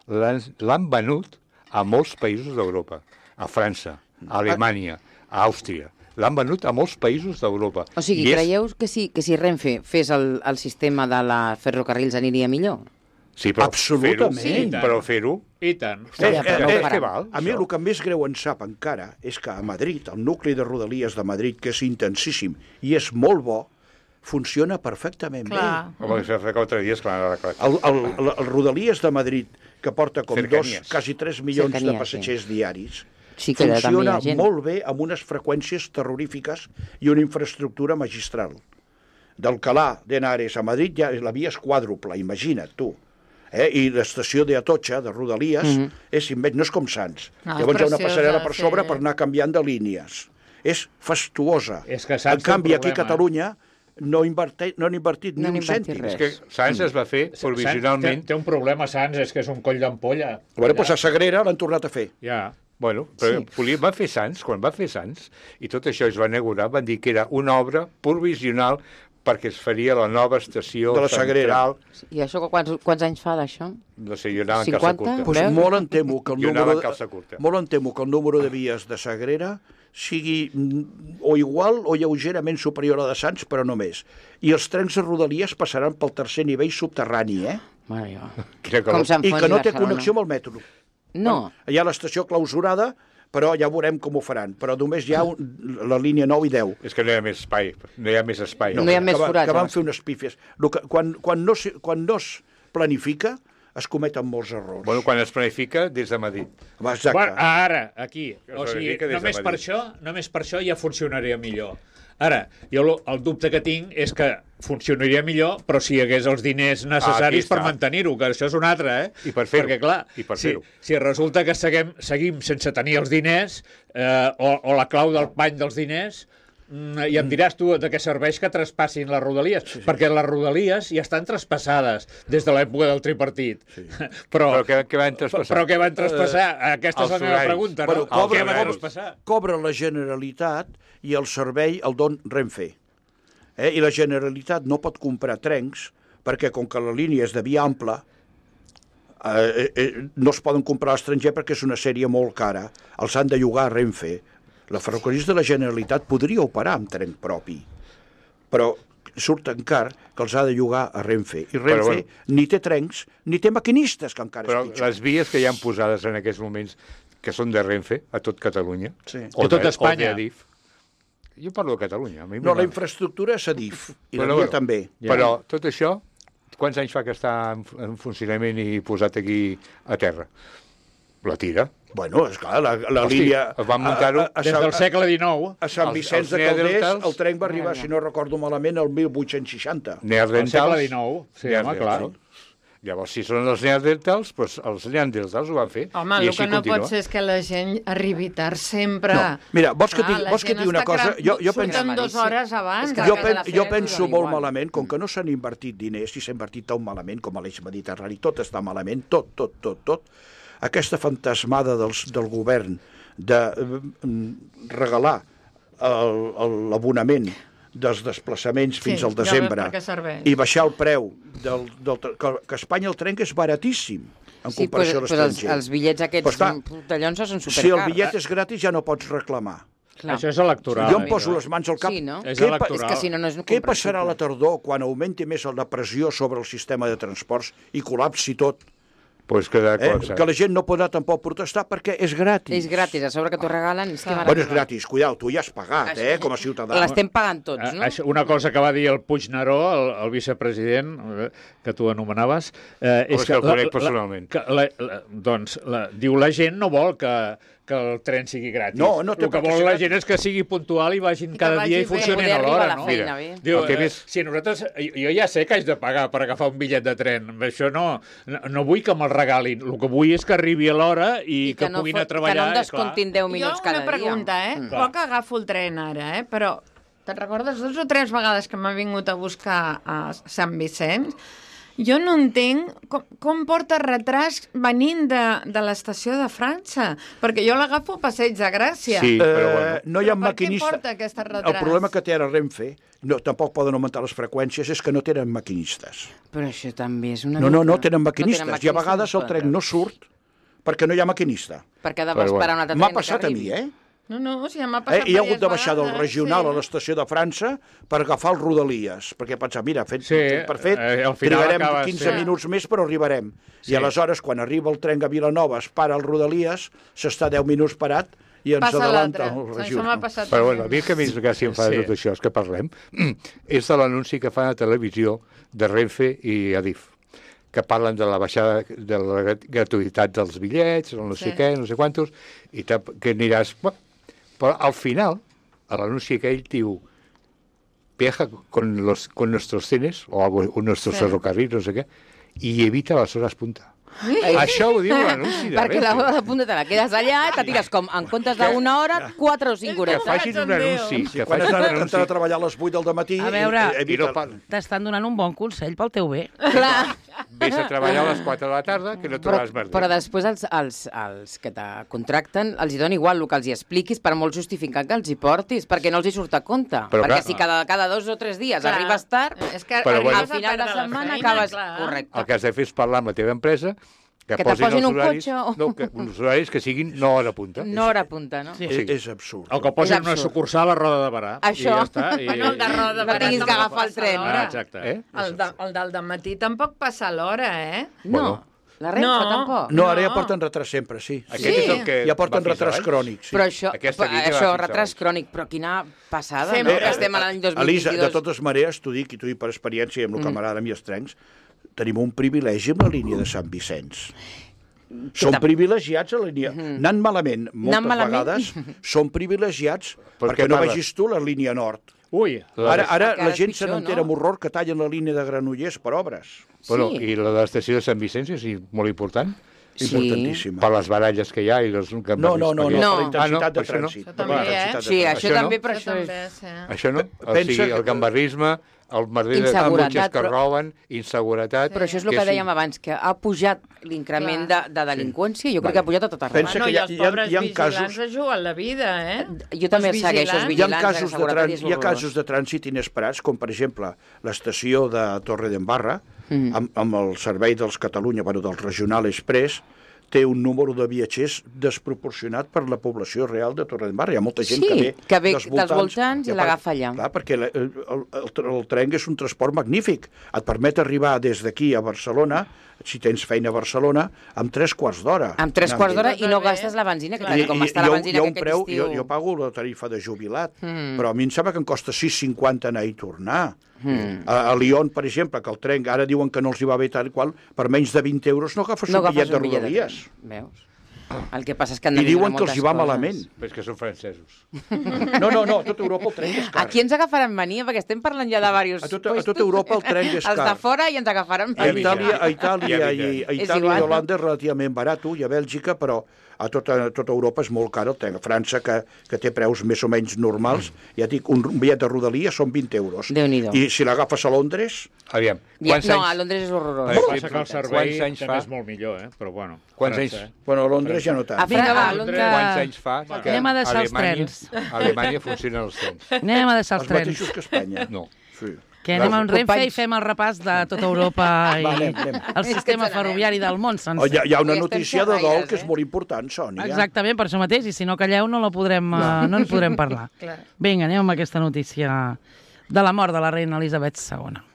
l'han venut a molts països d'Europa. A França, a Alemanya, a Àustria. L'han venut a molts països d'Europa. O sigui, I creieu és... que, si, que si Renfe fes el, el sistema de la ferrocarrils aniria millor? Sí, però absolutament. Fer-ho, sí, però fer-ho... I tant. Eh, eh, eh, eh, val, a mi el que més greu em sap encara és que a Madrid, el nucli de Rodalies de Madrid, que és intensíssim i és molt bo, funciona perfectament clar. bé. Home, això fa quatre dies, clar. El, el, el, el Rodalies de Madrid, que porta com Cercanies. dos, quasi tres milions Cercanies, de passatgers sí. diaris, sí que funciona molt bé amb unes freqüències terrorífiques i una infraestructura magistral. D'Alcalá d'Henares a Madrid ja la via és quàdruple, imagina't tu. Eh? I l'estació d'Atocha, de Rodalies, mm -hmm. és immens, no és com Sants. No, llavors hi ha una passarel·la per sobre sí. per anar canviant de línies. És fastuosa. És que en canvi, aquí a Catalunya no, invertit, no han invertit no ni un cèntim. És que Sants es va fer provisionalment... Té, té un problema, Sants, és que és un coll d'ampolla. Bueno, doncs a Sagrera l'han tornat a fer. Ja. Bueno, però sí. va fer Sants, quan va fer Sants, i tot això es va inaugurar, van dir que era una obra provisional perquè es faria la nova estació de la Sagrera. I això quants, quants anys fa d'això? No sé, jo anava en calça curta. Pues molt em temo que el número de, molt em temo que el número de vies de Sagrera sigui o igual o lleugerament superior a la de Sants, però no més. I els trens de Rodalies passaran pel tercer nivell subterrani, eh? Mare Com I que no té connexió amb el metro. No. Hi ha l'estació clausurada, però ja veurem com ho faran. Però només hi ha un, la línia nou i deu. És que no hi ha més espai. No hi ha més espai. No, no hi ha més forats. Que van fer unes pífies. Que, quan, quan, no, quan no es planifica, es cometen molts errors. Bueno, quan es planifica, des de Madrid. Exacte. Bueno, ara, aquí. O sigui, només per, això, només per això ja funcionaria millor. Ara, jo el dubte que tinc és que funcionaria millor, però si hi hagués els diners necessaris ah, per mantenir-ho, que això és un altre, eh? I per fer-ho. Perquè, clar, I per si, si resulta que seguim, seguim sense tenir els diners, eh, o, o la clau del pany dels diners, i em diràs tu de què serveix que traspassin les Rodalies, sí, sí. perquè les Rodalies ja estan traspassades des de l'època del tripartit. Sí. Però, però què, què van traspassar? Però què van traspassar? Uh, Aquesta és la meva pregunta, no? Bueno, cobra, què van traspassar? Cobra la Generalitat i el servei el don Renfe. Eh? I la Generalitat no pot comprar trens perquè, com que la línia és de via ampla, eh, eh, no es poden comprar a l'estranger perquè és una sèrie molt cara. Els han de llogar a Renfe. La ferrocarrils de la Generalitat podria operar amb tren propi, però surt tan car que els ha de llogar a Renfe. I Renfe bueno, ni té trens, ni té maquinistes, que encara però és pitjor. Les vies que hi han posades en aquests moments, que són de Renfe, a tot Catalunya, sí. o, a tot de, Espanya. o de Adif. Jo parlo de Catalunya. A mi no, la infraestructura és Adif, i la via també. Ja. Però tot això, quants anys fa que està en, en funcionament i posat aquí a terra? La tira. Bueno, esclar, la, la Hosti, línia... Es van muntar-ho des del segle dinou. A Sant Vicenç de Calders el tren va arribar, si no recordo malament, el mil vuit-cents seixanta. Al segle dinou, sí, home, clar. Llavors, si són els neandertals, doncs els neandertals ho van fer. Home, el que no pot ser és que la gent arribi tard sempre. No. Mira, vols que digui ah, digui una cosa? Jo, jo penso... Surten dues hores abans. Jo, pen, jo penso molt malament, com que no s'han invertit diners, i s'ha invertit tan malament com a l'eix mediterrani, tot està malament, tot, tot, tot, tot. Aquesta fantasmada dels, del govern de eh, regalar l'abonament dels desplaçaments Sí, fins al ja desembre veus per què serveix. i baixar el preu del, del, que, que a Espanya el tren és baratíssim en Sí, comparació però, a però els, l'estranger. els bitllets aquests Però està, portallons són supercars. si el bitllet és gratis ja no pots reclamar. Clar. Això és electoral. Jo em eh, poso això. les mans al cap. Sí, no? És Què pa- electoral. És que si no, no és Què passarà a la tardor quan augmenti més la pressió sobre el sistema de transports i col·lapsi tot? Pues queda Eh? col·lapsat. Que la gent no podrà tampoc protestar perquè és gratis. És gratis, a sobre que t'ho regalen. És que Bueno, és gratis, cuidao, tu ja has pagat, eh, com a ciutadà. l'estem pagant tots, Eh, no? Això, una cosa que va dir el Puigneró, el, el vicepresident, eh, que tu anomenaves, eh, Home, és és que el la- conec la- personalment. que la, la, doncs, la, diu, la gent no vol que, que el tren sigui gratis. No, no té el que per què vol ser la gratis. gent és que sigui puntual i vagin I que cada vagi dia i bé. funcionin Poder a arribar l'hora, a la no? feina Mira, bé. Diu, El que eh, més- si nosaltres, jo, jo ja sé que haig de pagar per agafar un bitllet de tren, això no, no, no vull que me'l regalin, el que vull és que arribi a l'hora i, I que, no puguin fot- anar a treballar. Que no em és clar. descomptin deu minuts jo cada una pregunta, dia. eh? Mm. Jo que agafo el tren ara, eh? Però te'n recordes dues o tres vegades que m'ha vingut a buscar a Sant Vicenç? Jo no entenc com, com porta retras venint de, de l'estació de França, perquè jo l'agafo a Passeig de Gràcia. Sí, Eh, però bueno. no hi ha Però per què maquinistes. porta aquest retras? El problema que té ara Renfe, no, tampoc poden augmentar les freqüències, és que no tenen maquinistes. Però això també és una No, no, no mica- tenen maquinistes. tenen I a vegades el no tren no surt perquè no hi ha maquinista. Perquè ha de Però esperar bueno. un altre M'ha tren que passat a arribi. mi, eh? No, no, si ja m'ha eh? passat I he hagut de diverses baixar del vegades, regional sí. a l'estació de França per agafar el Rodalies, perquè pensava, mira, fet, Sí, fet per fet, eh, al final trigarem acabes, quinze sí. minuts més, però arribarem. Sí. I aleshores, quan arriba el tren a Vilanova, es para el Rodalies, s'està deu minuts parat i ens Passa adelanta l'altre. el Això m'ha regional. passat Però també. bueno, a mi el que més gràcia em fa de Sí. tot això és que parlem és de l'anunci que fan a televisió de Renfe i Adif, que parlen de la baixada de la grat- gratuïtat dels bitllets, o no sé Sí. què, no sé quantos, i te, que aniràs... Bueno, però al final, a l'anunci aquell diu viaja con, los, con nuestros trenes, o algo, o nuestros Sí. ferrocarrils, no sé què, i evita les hores punta. Això ho diu l'anunci de Perquè la Renfe. hora de punta te la quedes allà, te tires com en comptes d'una hora, quatre o cinc Que horetes. facin un anunci, que Quan has facin un d'entrar anunci. a treballar a les vuit del matí... A veure, eh, I evita... no par- T'estan donant un bon consell pel teu bé. Clar. Vés a treballar a les quatre de la tarda, que no Però, trobaràs merda. però després els, els, els que te contracten els hi dona igual el que els hi expliquis per molt justificant que els hi portis, perquè no els hi surt a compte. Però perquè clar, si cada, cada dos o tres dies Clar. arribes tard, És que Però bueno. al arribes a final de perdre la setmana feina, acabes... clar. Correcte. El que has de fer és parlar amb la teva empresa que, Que te posin posin els un horaris, cotxe o- no, que, uns horaris que siguin no hora punta. No hora punta, no? Sí. És, és absurd. O que posin És una absurd. sucursal a Roda de Barà. Això. I ja està. I... Bueno, el de Roda de No Barà tinguis que tampoc agafar el passa tren. Ah, l'hora. exacte. Eh? El, de, el del matí tampoc passa a l'hora, eh? No, Bueno. la Renfe No. tampoc. No, ara ja No. porten retras sempre, sí. Aquest Sí. és el que Ja porten va fins retras avall. crònics. Sí. Però això, Aquesta línia va això fins retras avall. crònic, però quina passada, Sempre. no? Que estem a l'any dos mil Elisa, vint-i-dos. de totes maneres, t'ho dic, i t'ho dic per experiència i amb el que m'agrada a mi els trens, tenim un privilegi amb la línia de Sant Vicenç. Som tam- privilegiats a la línia. Anant malament, moltes Anant malament. vegades, som privilegiats Per perquè què no parles? vegis tu la línia nord. Ui, Ara, ara Encara la és gent se pitjor, n'entera no? amb horror que tallen la línia de Granollers per obres. Bueno, Sí. I la de l'estació de Sant Vicenç és molt important, Sí. Importantíssima. per les baralles que hi ha i les... Que No, no, no, no, No. per la intensitat Ah, no, de per això no. trànsit. Això per també, la eh? intensitat de Sí, trànsit. això Això no? també, però Això això és... també, sí. Això no? O Pensa sigui, que- el gambarrisme, el merder de Inseguretat, cotxes que però- roben, inseguretat... Però això és el que que sí. dèiem abans, que ha pujat l'increment de, de delinqüència, jo crec Vale. que ha pujat a tot arreu. Pensa Bueno, que i hi ha- els hi ha- pobres hi ha vigilants casos- es juguen la vida, eh? Jo també Els segueixo els vigilants. Hi ha vigilants casos, de seguretat trans, és hi ha horrorós. casos de trànsit inesperats, com per exemple l'estació de Torre d'Embarra, Mm. amb, amb el servei dels Catalunya, bueno, del Regional Express, té un número de viatgers desproporcionat per la població real de Torre d'Embarra. Hi ha molta gent Sí, que ve, que ve dels voltants i a part- l'agafa allà. Clar, perquè el, el, el, el tren és un transport magnífic. Et permet arribar des d'aquí a Barcelona, si tens feina a Barcelona, amb tres quarts d'hora. Amb tres quarts d'hora i no Bé. gastes la benzina, que Clar. tal com està la hi ha un- benzina hi ha un aquest preu, estiu... jo, jo pago la tarifa de jubilat, Mm. però a mi em sembla que em costa sis cinquanta anar i tornar. Mm. A, a Lyon, per exemple, que el tren ara diuen que no els hi va bé tal i qual, per menys de vint euros no agafes No un bitllet agafes de un bitllet de Rodalies. tren, veus? El que passa és que han I de millorar diuen que els hi moltes va coses. malament. Però és que són francesos. No, no, no, a tota Europa el tren és car. Aquí ens agafaran mania, perquè estem parlant ja de diversos A tota- a puestos. tota Europa el tren és Els car. de fora i ens agafaran A mania. Itàlia, a Itàlia, Ja i, a És Itàlia igual. i Holanda és relativament barat, i a Bèlgica, però a tota, a tota Europa és molt car el tren. A França, que, que té preus més o menys normals, ja dic, un, un bitllet de rodalia són vint euros. Déu-n'hi-do. I si l'agafes a Londres... Aviam, Ja, quants no, anys... a Londres és horrorós. El que passa que el servei Quants anys també fa? és molt millor, eh? Però bueno. Quants França, anys? eh? Bueno, a Londres ja no tant. A Vinga, va, a Londres. Quants anys fa que Anem a deixar els Alemanya, trens. a Alemanya funcionen els trens? Anem a deixar els Els trens. mateixos que Espanya. No. Sí. Que anem amb Renfe Companys. i fem el repàs de tota Europa i Va, anem, anem. el sistema ferroviari del món Oh, sencer. hi, ha, hi ha una I estem notícia de dol xerraires, que és eh? molt important, Sònia. Exactament, per això mateix, i si no calleu no la podrem, uh, no en podrem parlar. Vinga, anem amb aquesta notícia de la mort de la reina Elisabet segona.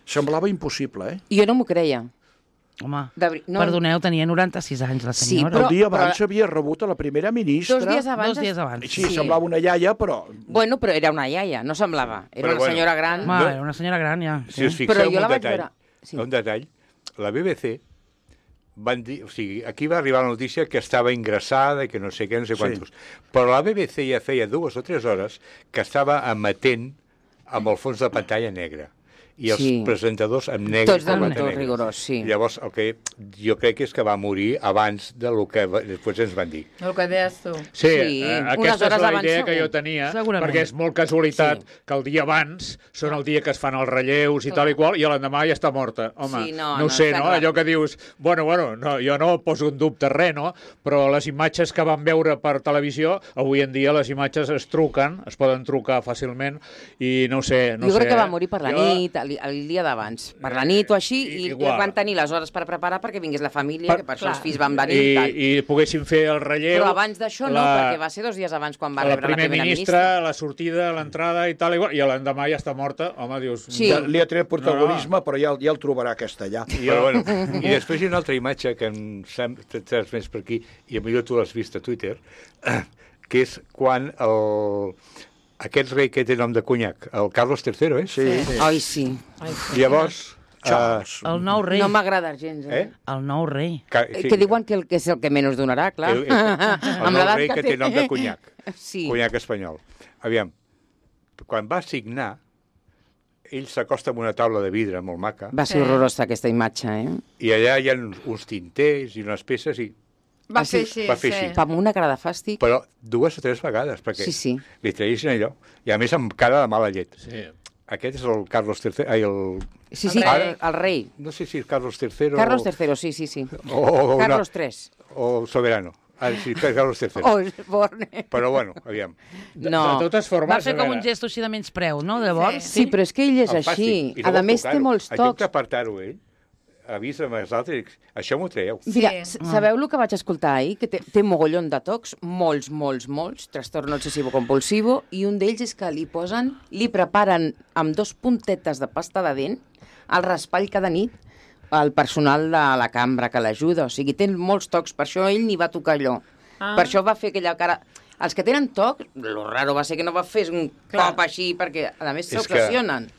Semblava impossible, eh? Jo no m'ho creia. Home, De veri- no. perdoneu, tenia noranta-sis anys la Sí, senyora. però- El dia abans havia rebut a la primera ministra. Dos dies abans... Dos dies abans. Sí, semblava una iaia, però... Bueno, però era una iaia, no semblava. Era Però una bueno. senyora gran. Home, era una senyora gran, ja. Si us Però fixeu jo en la un vaig detall, veure- sí. un detall, la B B C van dir, o sigui, aquí va arribar la notícia que estava ingressada i que no sé què, no sé Sí. quantos. Però la B B C ja feia dues o tres hores que estava emetent amb el fons de pantalla negre i els Sí. presentadors amb negre. Tots del corbata tot negra. rigorós, sí. Llavors, el que jo crec que és que va morir abans del que va- després ens van dir. El que deies tu. Sí, Sí, eh, unes aquesta és hores la abans idea segur. que jo tenia, Segurament. perquè és molt casualitat Sí. que el dia abans són el dia que es fan els relleus i tal i qual, i l'endemà ja està morta. Home, Sí, no, no, no, ho sé, està no? clar. Allò que dius, bueno, bueno, no, jo no poso en dubte res, no? Però les imatges que vam veure per televisió, avui en dia les imatges es truquen, es poden trucar fàcilment, i no ho sé, no jo sé. crec que va eh? morir per la Jo- nit, el, el dia d'abans. Per la nit o així, i, i Igual. van tenir les hores per preparar perquè vingués la família, Per- que per això clar. els fills van venir i, I, tal. i poguessin fer el relleu. Però abans d'això no, perquè va ser dos dies abans quan va la rebre la primer primera ministra, ministra. la sortida, l'entrada i tal, igual, i l'endemà ja està morta. Home, dius... Sí. Ja li ha tret protagonisme, però ja, ja el trobarà aquesta allà. Però, bueno, i després hi ha una altra imatge que em sembla tres més per aquí, i potser tu l'has vist a Twitter, que és quan el, aquest rei que té nom de conyac, el Carlos tercero, eh? Sí, sí. Ai, sí. Llavors... Charles. El nou rei. No m'agrada gens, eh? Eh? El nou rei. Que, Eh, Que diuen que, el, que és el que menys donarà, clar. El, el, el Amb nou l'edat rei que té nom de conyac, Sí. conyac espanyol. Aviam, quan va signar, ell s'acosta amb una taula de vidre molt maca, Va ser horrorosa aquesta imatge, eh? i allà hi ha uns tinters i unes peces, i, Va Ah, sí? fer així, Va fer sí. així. Amb una cara de fàstic. però dues o tres vegades, perquè Sí, sí. li traïssin allò, i a més amb cara de mala llet. Sí. Aquest és el Carlos tercero, ai, el... Sí, sí, El rei. el, el rei. No sé si és Carlos tercero... Carlos tercero, sí, sí, sí. O, o, una- Carlos tres. o Soberano. Ah, sí, Carlos tercero. Oh, Osborne. Però bueno, aviam. De, No. de totes formes, Va fer a com veure, un gest així de menyspreu, no? Llavors, Sí, però és que ell és El fàstic. així. I A no més, vol té tocar-ho. molts En lloc tocs. d'apartar-ho ell, avisa'm als altres, això m'ho traieu. Mira, Sí. s- sabeu el que vaig escoltar ahir? Que té, té mogollon de tocs, molts, molts, molts, trastorn obsessivo-compulsivo, i un d'ells és que li posen, li preparen amb dos puntetes de pasta de dent el raspall cada nit al personal de la cambra que l'ajuda. O sigui, té molts tocs, per això ell ni va tocar allò. Ah. Per això va fer aquella cara... Els que tenen toc, lo raro va ser que no va fer un Clar. cop així, perquè a més És que- s'obsessionen.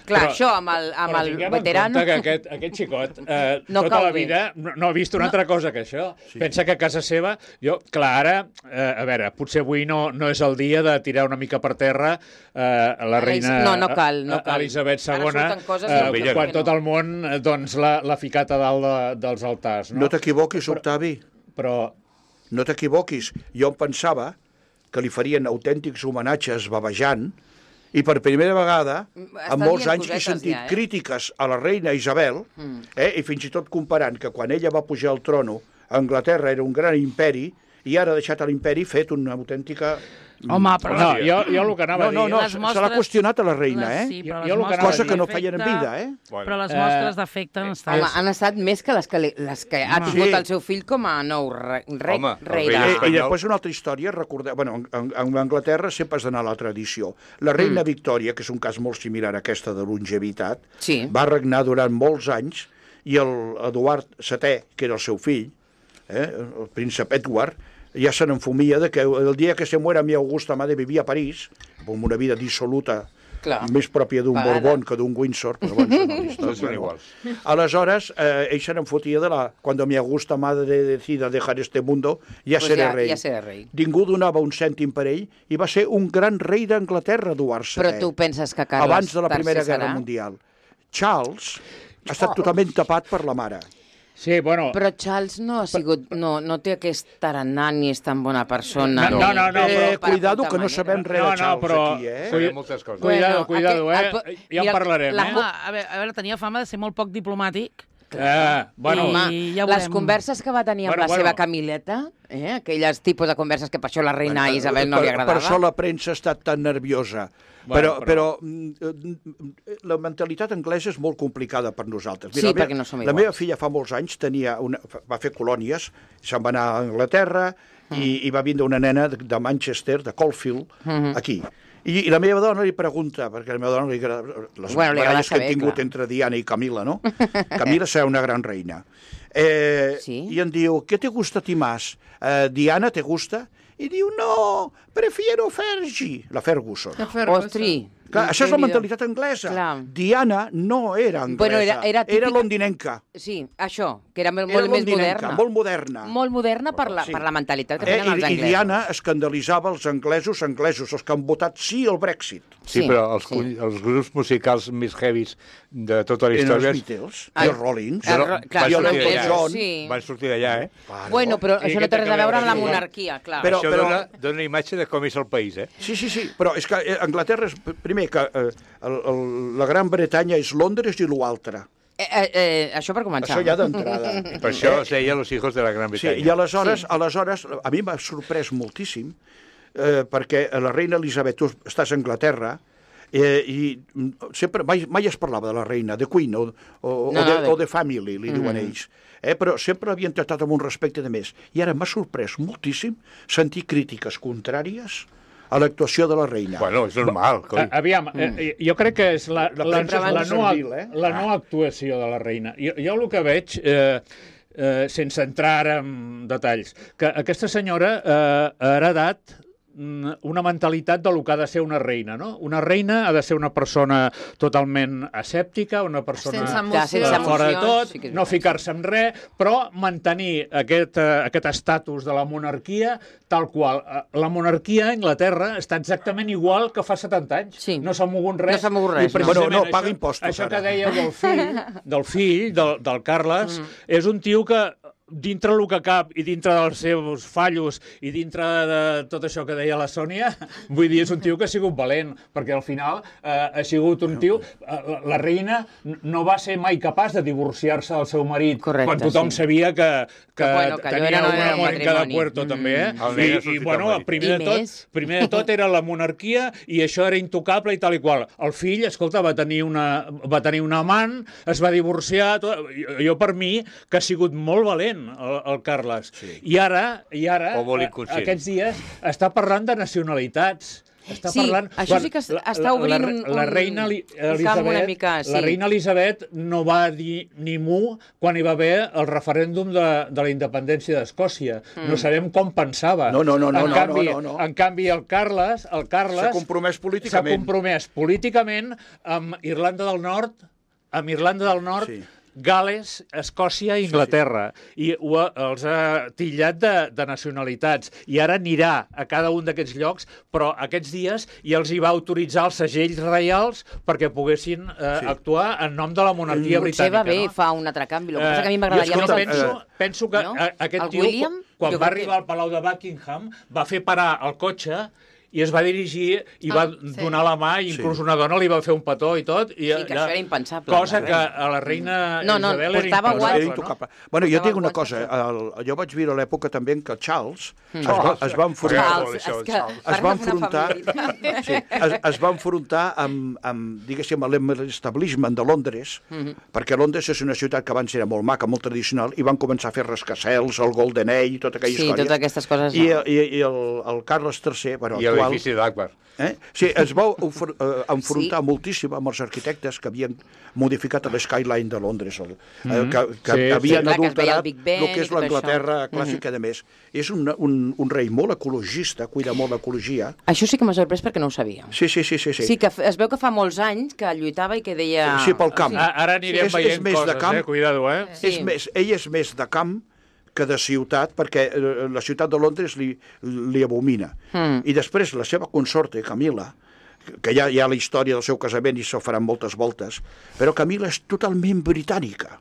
Clar, Però- això amb el, amb Però el tinguem veterano... en compte que aquest, aquest xicot eh, No tota cau la bé. vida no, no ha vist una altra cosa que això. Sí. Pensa que a casa seva... Jo, clar, ara, eh, a veure, potser avui no, no és el dia de tirar una mica per terra eh, la reina No, no cal, no eh, cal. Elisabet Ara segona, surten coses eh, que- quan que tot no. el món eh, doncs, l'ha l'ha ficat a dalt de, dels altars. No, No t'equivoquis, Octavi. Però No t'equivoquis. Jo em pensava que li farien autèntics homenatges babejant, i per primera vegada, Estan en molts dient anys, he cosetes sentit ja, eh? crítiques a la reina Isabel, eh, i fins i tot comparant que quan ella va pujar al trono, Anglaterra era un gran imperi, i ara ha deixat l'imperi fet una autèntica... home, però... no, jo, jo el que anava No, no, a dir... no, les se mostres- l'ha qüestionat a la reina, les- eh? Sí, però Jo- les jo el que mostres anava a Cosa dir- que no d'efecte- feien en vida, eh? Bueno, Però les Eh, mostres d'efecte han estat... Home, han estat més que les que, li- les que ha Home. tingut Sí. el seu fill com a nou re, rei, Home, el rei rei de... I, I espanyol. després una altra història, recordeu, bueno, en, en, en Anglaterra sempre has d'anar a la tradició. La reina mm. Victòria, que és un cas molt similar a aquesta de longevitat, Sí. va regnar durant molts anys, i el Eduard setè, que era el seu fill, eh, el príncep Edward, ja se n'enfumia de que el dia que se muera mi Augusta Madre vivia a París, amb una vida dissoluta, Clar. més pròpia d'un Pagada. Borbón que d'un Windsor, però bueno, són Tots històries. són iguals. Aleshores, eh, ell se n'enfotia de la... Cuando mi Augusta Madre decida dejar este mundo, ja Pues seré ja- rei. ja seré rei. Ningú donava un cèntim per ell i va ser un gran rei d'Anglaterra, Eduard setè. Però tu penses que Carles Abans de la tercer Primera Guerra serà? Mundial. Charles ha estat totalment tapat per la mare. Sí, bueno... Però Charles no ha sigut... No, no té aquest tarannà ni és tan bona persona. No, no, no, no, Eh, però... cuidado, que no sabem res No, de no, Charles però... aquí, eh? Sabem moltes coses. Cuidado, Bueno, cuidado, aquest- eh? el- Ja en mira, parlarem, la- eh? Home, a veure, a veure, tenia fama de ser molt poc diplomàtic. Eh, bueno, I Home, ja les veurem. converses que va tenir amb Bueno, la bueno. seva Camileta, eh? aquelles tipus de converses que per això la reina Bueno, Isabel no per, li agradava. Per això la premsa ha estat tan nerviosa. Bueno, Però, però, però mm, la mentalitat anglesa és molt complicada per nosaltres. Sí, la meva- perquè no som La iguals. meva filla fa molts anys tenia una, va fer colònies, se'n va anar a Anglaterra Mm. i, i va vindre una nena de, de Manchester, de Caulfield, Mm-hmm. aquí. I, I la meva dona li pregunta, perquè a la meva dona li agrada les Bueno, li agrada baralles que saber, hem tingut clar. entre Diana i Camila, no? Camila serà una gran reina. Eh, Sí. I em diu, ¿qué te gusta a ti más? Eh, Diana, ¿te gusta? I diu, no, prefiero Fergie, la Ferguson. Ostri. Clar, això és la Déu-n'hi-do. mentalitat anglesa. Clar. Era no era anglesa, Bueno, era- era típica- era londinenca. Sí, això, que era molt, Era molt més londinenca, moderna. molt moderna. Molt moderna per la, Sí. per la mentalitat que Eh, tenen els i, I anglesos. Diana escandalitzava els anglesos, anglesos, els que han votat sí al Brexit. Sí, Sí, però els, sí. sí. els grups musicals més heavis de tota la Eren història... els Beatles, Ah, i els Rollins, el no, ro- clar, van i el els sortir Elton d'allà. John. Sí. Van sortir d'allà, eh? Claro. Bueno, però I això no què té té res que a veure amb la veure això? monarquia, clar. Però- Això dona, dona una imatge de com és el país, eh? Sí, sí, sí, però és que eh, Anglaterra és, primer, que eh, el, el, la Gran Bretanya és Londres i l'altre. Eh, eh, eh, això per començar. Això ja d'entrada. Per això es deia los hijos de la Gran Sí, Bretanya. i aleshores, sí. aleshores a mi m'ha sorprès moltíssim eh, perquè la reina Elisabet, tu estàs a Anglaterra, eh, i mm, sempre, mai, mai es parlava de la reina, de Queen o, o, No, o, de, no, de- o de Family, li diuen ells. Eh, però sempre l'havien tractat amb un respecte de més. I ara m'ha sorprès moltíssim sentir crítiques contràries a l'actuació de la reina. Bueno, és normal, coi. A- Aviam, eh, jo crec que és la, La la, premsa la, és la, molt no, servil, eh? la no actuació de la reina. Jo, jo el que veig, eh, eh, sense entrar ara en detalls, que aquesta senyora eh, ha heredat mm, una mentalitat del que ha de ser una reina, no? Una reina ha de ser una persona totalment escèptica, una persona Sense eh, emocions. sense fora de emocions, tot, sí que és no veritat. ficar-se en res, però mantenir aquest, eh, aquest estatus de la monarquia tal qual. Eh, La monarquia a Anglaterra està exactament igual que fa setanta anys. Sí. No s'ha mogut res. No s'ha mogut res, I no. precisament Bueno, no, paga això- impostos, Això que ara. deia del fill, del fill, del, del Carles, Mm. és un tio que dintre el que cap i dintre dels seus fallos i dintre de tot això que deia la Sònia, vull dir, és un tio que ha sigut valent, perquè al final eh, ha sigut un tio... Eh, la, la reina no va ser mai capaç de divorciar-se del seu marit, Correcte, quan tothom sí. sabia que, que, Que, bueno, que allò tenia era- no una era un monarca de matrimoni. puerto, Mm. també, eh? El negre ha I, i sortit bueno, al marit. primer I de, tot, més. primer de tot era la monarquia i això era intocable i tal i qual. El fill, escolta, va tenir una, va tenir un amant, es va divorciar... Tot, jo, jo, per mi, que ha sigut molt valent, el, el Carles. Sí. I ara, i ara O molt eh, inconscient. aquests dies, està parlant de nacionalitats. Està Sí, parlant... això sí que es- la- està la- obrint la, un- la un- reina Eli- un camp Elisabet, una mica, sí. la reina Elisabet no va dir ni mu quan hi va haver el referèndum de, de la independència d'Escòcia. Mm. No sabem com pensava. No, no, no, no, en no, canvi, no, no, no. En canvi, el Carles, el Carles S'ha compromès s'ha políticament. compromès políticament amb Irlanda del Nord, amb Irlanda del Nord, Sí. Gales, Escòcia i Inglaterra. I ho, ha- els ha tillat de, de nacionalitats. I ara anirà a cada un d'aquests llocs, però aquests dies ja els hi va autoritzar els segells reials perquè poguessin eh, Sí. actuar en nom de la monarquia Potser britànica. va bé, no? fa un altre canvi. El que Eh, passa que a mi jo, m'agradaria escolta, més... penso, eh, penso que no? a- aquest El tio, William, quan jo va crec que- arribar al Palau de Buckingham, va fer parar el cotxe i es va dirigir i va Ah, sí. donar la mà, i inclús una dona li va fer un petó i tot. I Sí, que això era impensable. Cosa La que reina. a la reina No, no, Isabel era portava impensable. guants. Era intocable. Bueno, jo Portava tinc una guants, cosa. El, jo vaig viure a l'època també en què Charles Mm. es, va, es va enfrontar... Charles. Charles, és que Charles. Es parla va d'una enfrontar, família. sí, es, es va enfrontar amb, amb diguéssim, amb l'establishment de Londres, perquè Londres és una ciutat que abans era molt maca, molt tradicional, i van començar a fer rascacels, el Golden Age, i tota aquella Sí, història. totes aquestes coses. I, no. i, i el, el Carles tercer, bueno, I actual... l'edifici d'Akbar. Eh? Sí, es va ofer, eh, enfrontar Sí. sí. moltíssim amb els arquitectes que havien modificat l'skyline de Londres, el, eh, que, que Sí, havien sí. Clar, que es veia el adulterat Big Ben el que i és tot l'Anglaterra això. clàssica, de més. És un, un, un rei molt ecologista, cuida molt l'ecologia. Això sí que m'ha sorprès perquè no ho sabia. Sí, sí, sí, sí. sí. Sí, que f- es veu que fa molts anys que lluitava i que deia... Sí, pel camp. A- Ara anirem És- és veient més de coses, camp. eh? Cuidado, eh? Sí. És més, ell és més de camp que de ciutat, perquè eh, la ciutat de Londres li, li abomina. Mm. I després la seva consorte, Camila, que ja hi ha la història del seu casament i s'ho faran moltes voltes, però Camila és totalment britànica.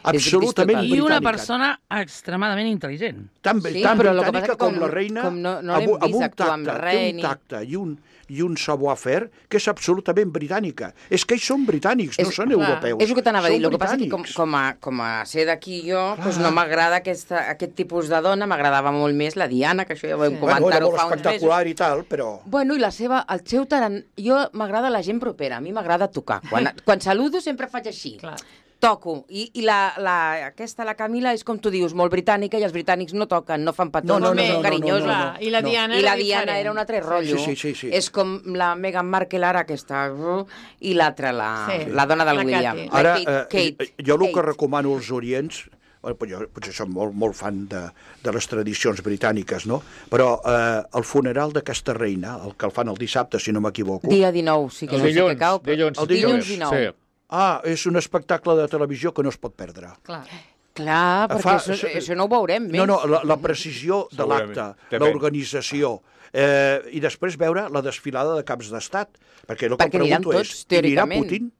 Absolutament És I una britànica. persona extremadament intel·ligent. Tan, Sí, tan però el que passa britànica que com- com la reina, com no- no l'hem amb, amb vist un actuar amb tacte, res té un ni- tacte i un, i un savoir-faire que és absolutament britànica. És que ells són britànics, no És- són clar, europeus. És el que t'anava a dir. Són El que passa que com, britànics. com, a, com a ser d'aquí jo, doncs no m'agrada aquesta, aquest tipus de dona, m'agradava molt més la Diana, que això ja ho vam Sí. Bueno, era comentar-ho molt fa uns mesos. espectacular i tal, però... Bueno, i la seva, el seu taran... Jo m'agrada la gent propera, a mi m'agrada tocar. Quan, quan saludo sempre faig així. Clar. Toco. I, i la, la, aquesta, la Camila, és com tu dius, molt britànica, i els britànics no toquen, no fan petons, No, no, no, no, són no, carinyosos. no, no, Clar, I la no. Diana I era la Diana diferent. era un altre rotllo. Sí, sí, sí, sí. És com la Meghan Markle ara, aquesta, uh, i l'altra, la, Sí. la dona del La William. Kate. La Ara, Kate, eh, Kate, jo el que Kate. recomano als orients, bueno, pues jo potser som molt, molt fan de, de les tradicions britàniques, no? Però eh, el funeral d'aquesta reina, el que el fan el dissabte, si no m'equivoco, Dia dinou, sí que El no sé què dilluns, cau. però- dilluns, El dilluns dinou. Sí. ah, és un espectacle de televisió que no es pot perdre. Clar. Clar, perquè Fa- això, això no ho veurem més. No, no, la, la precisió de Segurament. l'acte, També. l'organització, eh, i després veure la desfilada de caps d'estat. Perquè el que Perquè em aniran pregunto tots, és, hi anirà teòricament. Putin?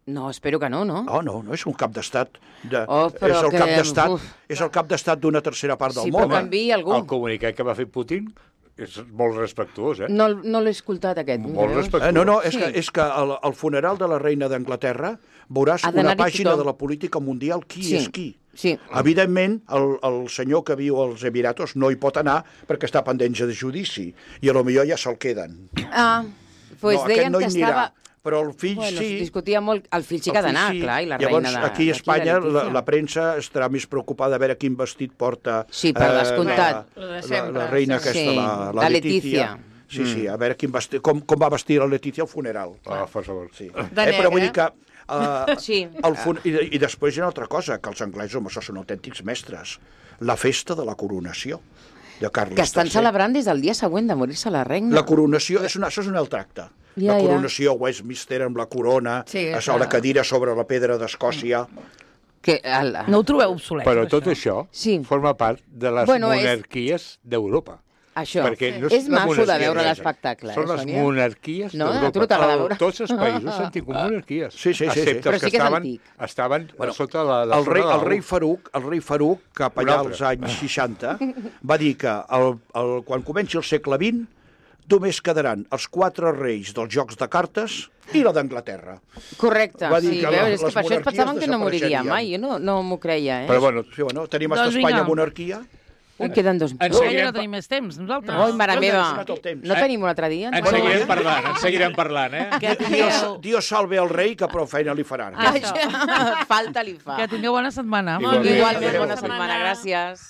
No, espero que no, no? No, no, no és un cap d'estat. De, Oh, però és el que- cap d'estat, uf. és el cap d'estat d'una tercera part del Sí, món. però que enviï algú. El comunicat que va fer Putin és molt respectuós, eh? No, no l'he escoltat, aquest. Molt veus? respectuós. Eh, no, no, és Sí. que, és que al, al funeral de la reina d'Anglaterra veuràs Ha una d'anar-hi pàgina tothom. de la política mundial qui Sí. és qui. Sí. Evidentment, el, el senyor que viu als Emiratos no hi pot anar perquè està pendent de judici i a lo millor ja se'l queden. Ah, doncs no, deien aquest no que hi anirà, estava... però el fill Bueno, sí. es discutia molt... El fill sí El que ha fill d'anar, sí. clar, i la Llavors, reina de... aquí a d'aquí, Espanya la la, Letícia. la premsa estarà més preocupada a veure quin vestit porta Sí, per descomptat. la, Lo de la, sempre, la reina sí. aquesta, Sí, la, la, la Letícia. Letícia. Sí, sí, a veure quin vestit, com, com va vestir la Letícia al funeral. Ah, per favor. Sí. De eh, però negre. vull dir que... Uh, Sí. el fun... I, I després hi ha una altra cosa, que els anglesos, home, això són autèntics mestres. La festa de la coronació de Carles Que estan tercer. celebrant des del dia següent de morir-se la reina. La coronació, és una, això és un altre acte. Ja, la ja. coronació, Westminster amb la corona, Sí, a clar. la cadira sobre la pedra d'Escòcia... Que, el... No ho trobeu obsolet, Però tot això Sí. forma part de les Bueno, és- monarquies d'Europa. Això. Perquè no És la maco de monarquia veure anglesa. l'espectacle, Són eh, les Sònia? monarquies No, a tu d'Europa. no t'agrada El- veure. Tots els països han tingut monarquies. Sí, sí, sí, sí. Excepte Però els sí que que és estaven, antic. estaven Bueno, sota la, la el rei, zona de el rei l'U. Farouk, el rei Farouk, cap Un allà altre. als anys seixanta, va dir que el, el, quan comenci el segle vint només quedaran els quatre reis dels jocs de cartes i la d'Anglaterra. Correcte, Va dir sí, que veus, les és que per això monarquies pensaven que no moriria desapareixerien. mai, jo no, no m'ho creia, eh? Però bueno, Sí, bueno, tenim Doncs doncs Espanya vinga. monarquia. Ui, queden dos... En Ui, seguirem no pa- tenim més temps, nosaltres. Ui, mare No, meva, no, no té el temps. no tenim un altre dia? En Bueno, seguirem parlant, en seguirem parlant, eh? Que Dios, tingueu, Dios salve al rei, que prou feina li faran. Ah, Falta li fa. que tingueu bona setmana. Igualment. Igualment, Adéu. bona setmana, gràcies.